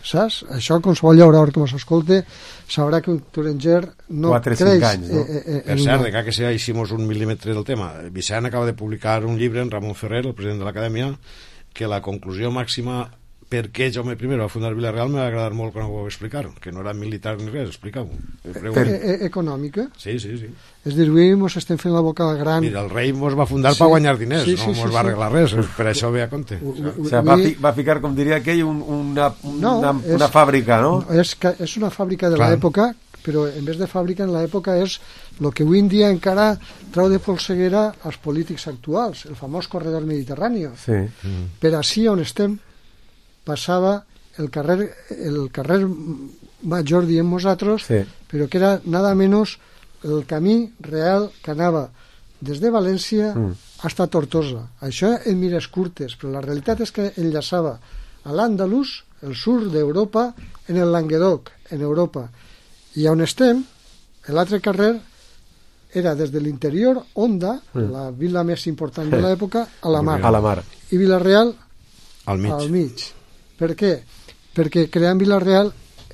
Saps? Això qualsevol llaurador que m'escolte sabrà que un taronger no creix. Anys, no? Eh, eh, per cert, de que si hicimos un mil·límetre del tema, Vicent acaba de publicar un llibre en Ramon Ferrer, el president de l'Acadèmia, que la conclusió màxima per què Jaume I va fundar Vilareal m'ha agradat molt quan ho vau explicar, que no era militar ni res, explica-ho. Per... E econòmica? Sí, sí, sí. És dir, avui ens estem fent la boca gran. Mira, el rei ens va fundar sí. per guanyar diners, sí, sí, no ens sí, va arreglar sí. res, per això ve a compte. O, o, o sea, va, fi, va ficar, com diria aquell, un, una, no, una, és, una fàbrica, no? És, és una fàbrica de l'època, però en vez de fàbrica en l'època és el que avui en dia encara trau de polseguera als polítics actuals, el famós corredor mediterrani. Sí. Mm. Per així on estem passava el carrer, el carrer major, diem nosaltres, sí. però que era nada menos el camí real que anava des de València mm. fins a Tortosa. Això en mires curtes, però la realitat és que enllaçava a l'Àndalus, el sud d'Europa, en el Languedoc, en Europa. I on estem, l'altre carrer era des de l'interior, Onda, mm. la vila més important de l'època, a la mar. A la mar. I Vilareal al mig. Al mig. Per què? Perquè creant Vilareal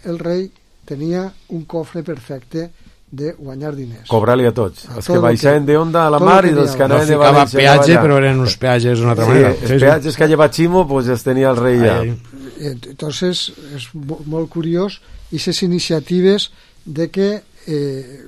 el rei tenia un cofre perfecte de guanyar diners. Cobrar-li a tots. A els que baixaven de Onda a la mar i dels que anaven de València. No ficava peatge, però eren uns peatges d'una altra sí, manera. Els sí, peatges sí. que lleva Ximo, pues els tenia el rei ja. Entonces, és molt curiós aquestes iniciatives de que eh,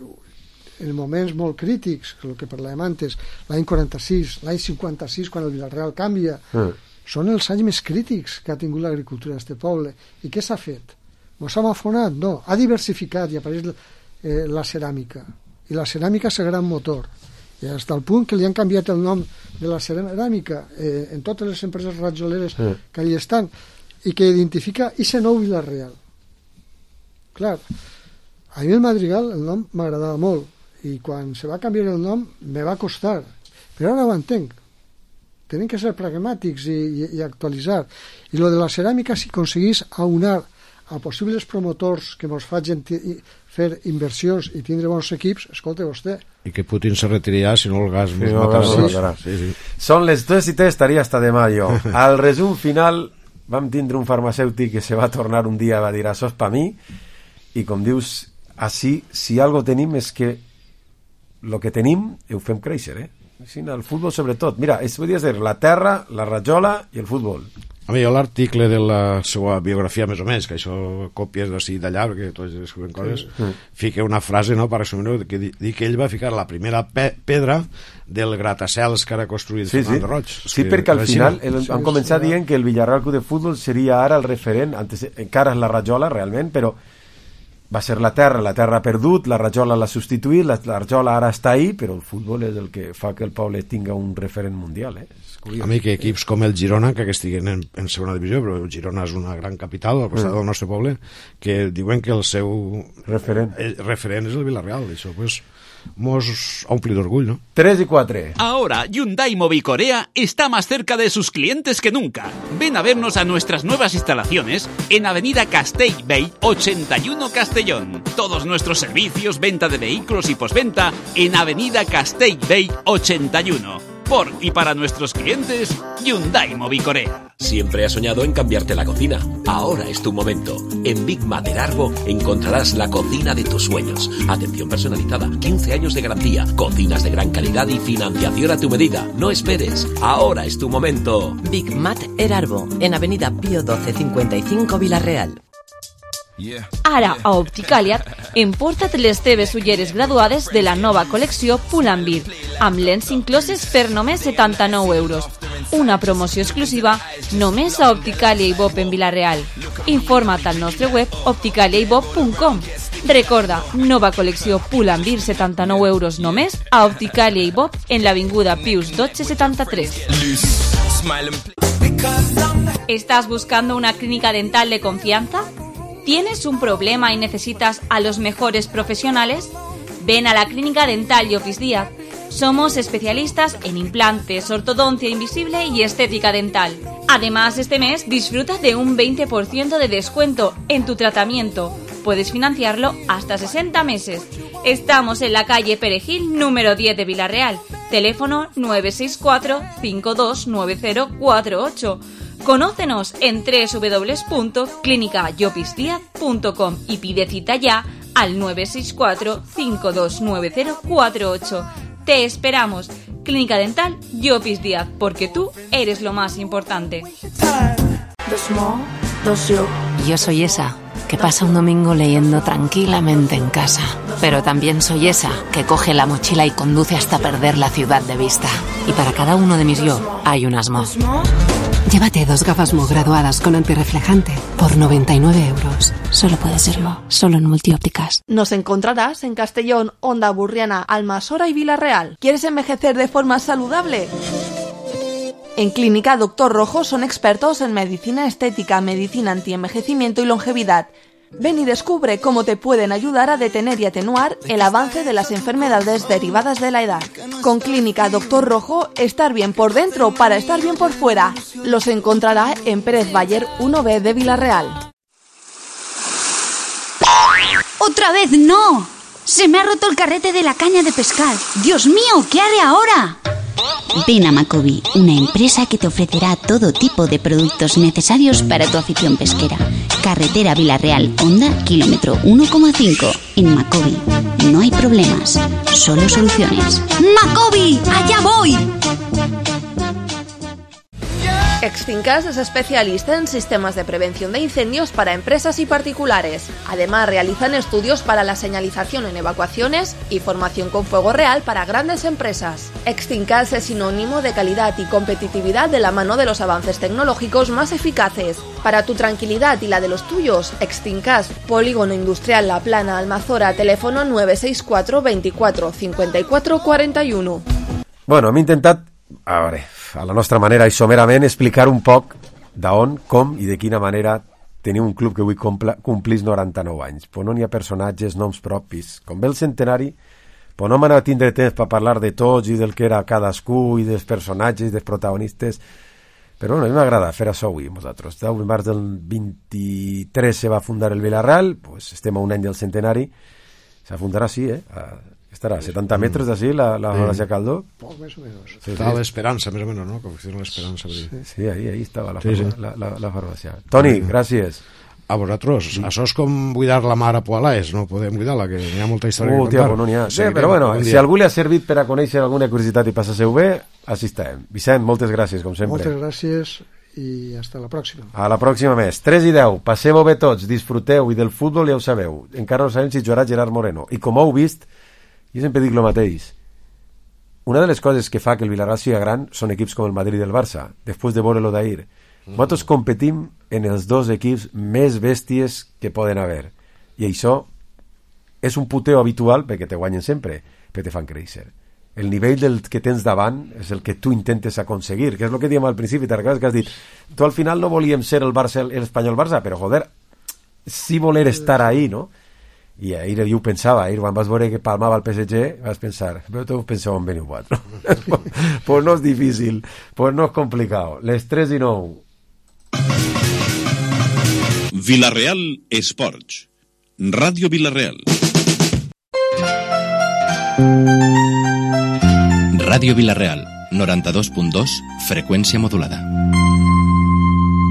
en moments molt crítics, el que parlàvem antes, l'any quaranta-sis, l'any cinquanta-sis, quan el Vilareal canvia, mm. són els anys més crítics que ha tingut l'agricultura d'aquest poble. I què s'ha fet? Mos hem afonat? No. Ha diversificat i apareix eh, la ceràmica. I la ceràmica és el gran motor. I fins al punt que li han canviat el nom de la ceràmica eh, en totes les empreses ratjoleres sí. que allà estan i que identifica aquest nou Vilareal. Clar, a mi el Madrigal el nom m'agradava molt i quan se va canviar el nom me va costar, però ara ho entenc. Tenen que ser pragmàtics i, i, i actualitzar. I lo de la ceràmica, si aconseguís aunar a possibles promotors que ens facin fer inversions i tindre bons equips, escolta vostè. I que Putin se retirarà si no el gas sí, no, matarà. Sí, matarà. Sí, sí. Són les dos i tres, estaria hasta demà jo. Al resum final vam tindre un farmacèutic que se va tornar un dia va dir això és per mi i com dius, així, si algo tenim és que el que tenim ho fem créixer, eh? Sí, el futbol sobretot. Mira, es podria dir la terra, la rajola i el futbol. A mi, jo l'article de la seva biografia, més o menys, que això copies d'ací d'allà, perquè tots escriuen coses, sí. fica una frase, no?, per resumir-ho, que di que ell va ficar la primera pe pedra del gratacels que ara ha construït sí, Fernando sí. Roig. Sí, que perquè al final el, han començat sí, dient que el Villarreal Club de Futbol seria ara el referent, antes, encara és la rajola realment, però va ser la terra, la terra ha perdut, la rajola l'ha substituït, la, la rajola ara està ahí, però el futbol és el que fa que el poble tinga un referent mundial, eh? A mi que equips com el Girona, que estiguen en, en segona divisió, però el Girona és una gran capital al costat mm. del nostre poble, que diuen que el seu referent, el referent és el Villarreal, això pues mos ompli d'orgull, ¿no? tres y cuatro. Ahora Hyundai Mobicorea está más cerca de sus clientes que nunca. Ven a vernos a nuestras nuevas instalaciones en Avenida Castellbell ochenta y uno Castellón. Todos nuestros servicios, venta de vehículos y postventa en Avenida Castellbell ochenta y uno. Por y para nuestros clientes, Hyundai Mobicorea. Siempre has soñado en cambiarte la cocina. Ahora es tu momento. En Big Mater Arbo encontrarás la cocina de tus sueños. Atención personalizada, quince años de garantía, cocinas de gran calidad y financiación a tu medida. No esperes. Ahora es tu momento. Big Mater Arbo, en Avenida Pío doce cincuenta y cinco Vilareal. Ara, a Opticaliat, emporta't les teves ulleres graduades de la nova col·lecció Pull&Bear, amb lents incloses per només setanta-nou euros. Una promoció exclusiva només a Opticalia i Bob en Vila-real. Informa't al nostre web opticalia i bob punt com. Recorda, nova col·lecció Pull&Bear, setanta-nou euros només a Opticalia i Bob en l'avinguda Pius dotze setanta-tres. ¿Estás buscando una clínica dental de confianza? ¿Tienes un problema y necesitas a los mejores profesionales? Ven a la Clínica Dental Llopis Díaz. Somos especialistas en implantes, ortodoncia invisible y estética dental. Además, este mes disfruta de un veinte por ciento de descuento en tu tratamiento. Puedes financiarlo hasta sesenta meses. Estamos en la calle Perejil, número diez de Vila-real. Teléfono nueve seis cuatro, cinco dos nueve cero cuatro ocho. Conócenos en doble u doble u doble u punto clínica llopis díaz punto com y pide cita ya al nueve seis cuatro, cinco dos nueve cero cuatro ocho. Te esperamos. Clínica Dental Llopis Díaz, porque tú eres lo más importante. Yo soy esa que pasa un domingo leyendo tranquilamente en casa, pero también soy esa que coge la mochila y conduce hasta perder la ciudad de vista. Y para cada uno de mis yo hay un Asmo. Llévate dos gafas Mo graduadas con antirreflejante por noventa y nueve euros. Solo puede ser Mo, solo en Multiópticas. Nos encontrarás en Castellón, Onda Burriana, Almasora y Vila-real. ¿Quieres envejecer de forma saludable? En Clínica Doctor Rojo son expertos en medicina estética, medicina antienvejecimiento y longevidad. Ven y descubre cómo te pueden ayudar a detener y atenuar el avance de las enfermedades derivadas de la edad. Con Clínica Doctor Rojo, estar bien por dentro para estar bien por fuera. Los encontrará en Pérez Bayer uno B de Vila-real. ¡Otra vez no! ¡Se me ha roto el carrete de la caña de pescar! ¡Dios mío! ¿Qué haré ahora? Ven a Macobi, una empresa que te ofrecerá todo tipo de productos necesarios para tu afición pesquera. Carretera Vila-real, Honda, kilómetro uno coma cinco. En Macobi no hay problemas, solo soluciones. ¡Macobi! ¡Allá voy! Extincas es especialista en sistemas de prevención de incendios para empresas y particulares. Además, realizan estudios para la señalización en evacuaciones y formación con fuego real para grandes empresas. Extincas es sinónimo de calidad y competitividad de la mano de los avances tecnológicos más eficaces. Para tu tranquilidad y la de los tuyos, Extincas, Polígono Industrial La Plana, Almazora, teléfono nueve seis cuatro, veinticuatro, cincuenta y cuatro, cuarenta y uno. Bueno, hem intentat, a veure, a la nostra manera i somerament, explicar un poc d'on, com i de quina manera tenir un club que avui complís noranta-nou anys. Però no n'hi ha personatges, noms propis. Com ve el centenari, però no m'anava a tindre temps per parlar de tots i del que era cadascú i dels personatges i dels protagonistes. Però bueno, a mi m'agrada fer això avui amb vosaltres. El març del vint-i-tres se va fundar el Vila-real, pues estem a un any del centenari. Se fundarà així, eh? A, estarà a setanta metres d'ací la, la Horacia Caldó. Poc més o menys. Sí, estava sí. l'Esperança, més o menys, no? Com que l'Esperança. Sí, sí, ahí, ahí estava la, sí, sí. la, la, la farmàcia. Toni, gràcies. A vosaltres. Sí. Això és com buidar la mar a Poalaes, no podem buidar-la, que hi ha molta història uh, que contar. Tia, no n'hi ha. Sí, però bueno, si algú li ha servit per a conèixer alguna curiositat i passar-se-ho bé, així estem. Vicent, moltes gràcies, com sempre. Moltes gràcies i hasta la pròxima. A la pròxima més. tres i deu, passeu-ho bé tots, disfruteu, i del futbol ja ho sabeu. Encara no sabem si jugarà Gerard Moreno. I com heu vist, jo sempre dic el mateix. Una de les coses que fa que el Villarreal sigui gran són equips com el Madrid i el Barça, després de veure-lo d'ahir. Mm. Nosaltres competim en els dos equips més bèsties que poden haver. I això és un puteo habitual perquè te guanyen sempre, perquè te fan créixer. El nivell del que tens davant és el que tu intentes aconseguir, que és el que diem al principi, te recordes que has dit, tu al final no volíem ser el Barça, l'Espanyol-Barça, però joder, sí voler estar ahí, no? I ahir jo ho pensava, ahir quan vas veure que palmava el P S G vas pensar, però tu penseu en Beniuat, no? Pues no és difícil, pues no és complicat. Les tres i nou. Vila-real Esports, Ràdio Vila-real. Ràdio Vila-real, noranta-dos punt dos, freqüència modulada.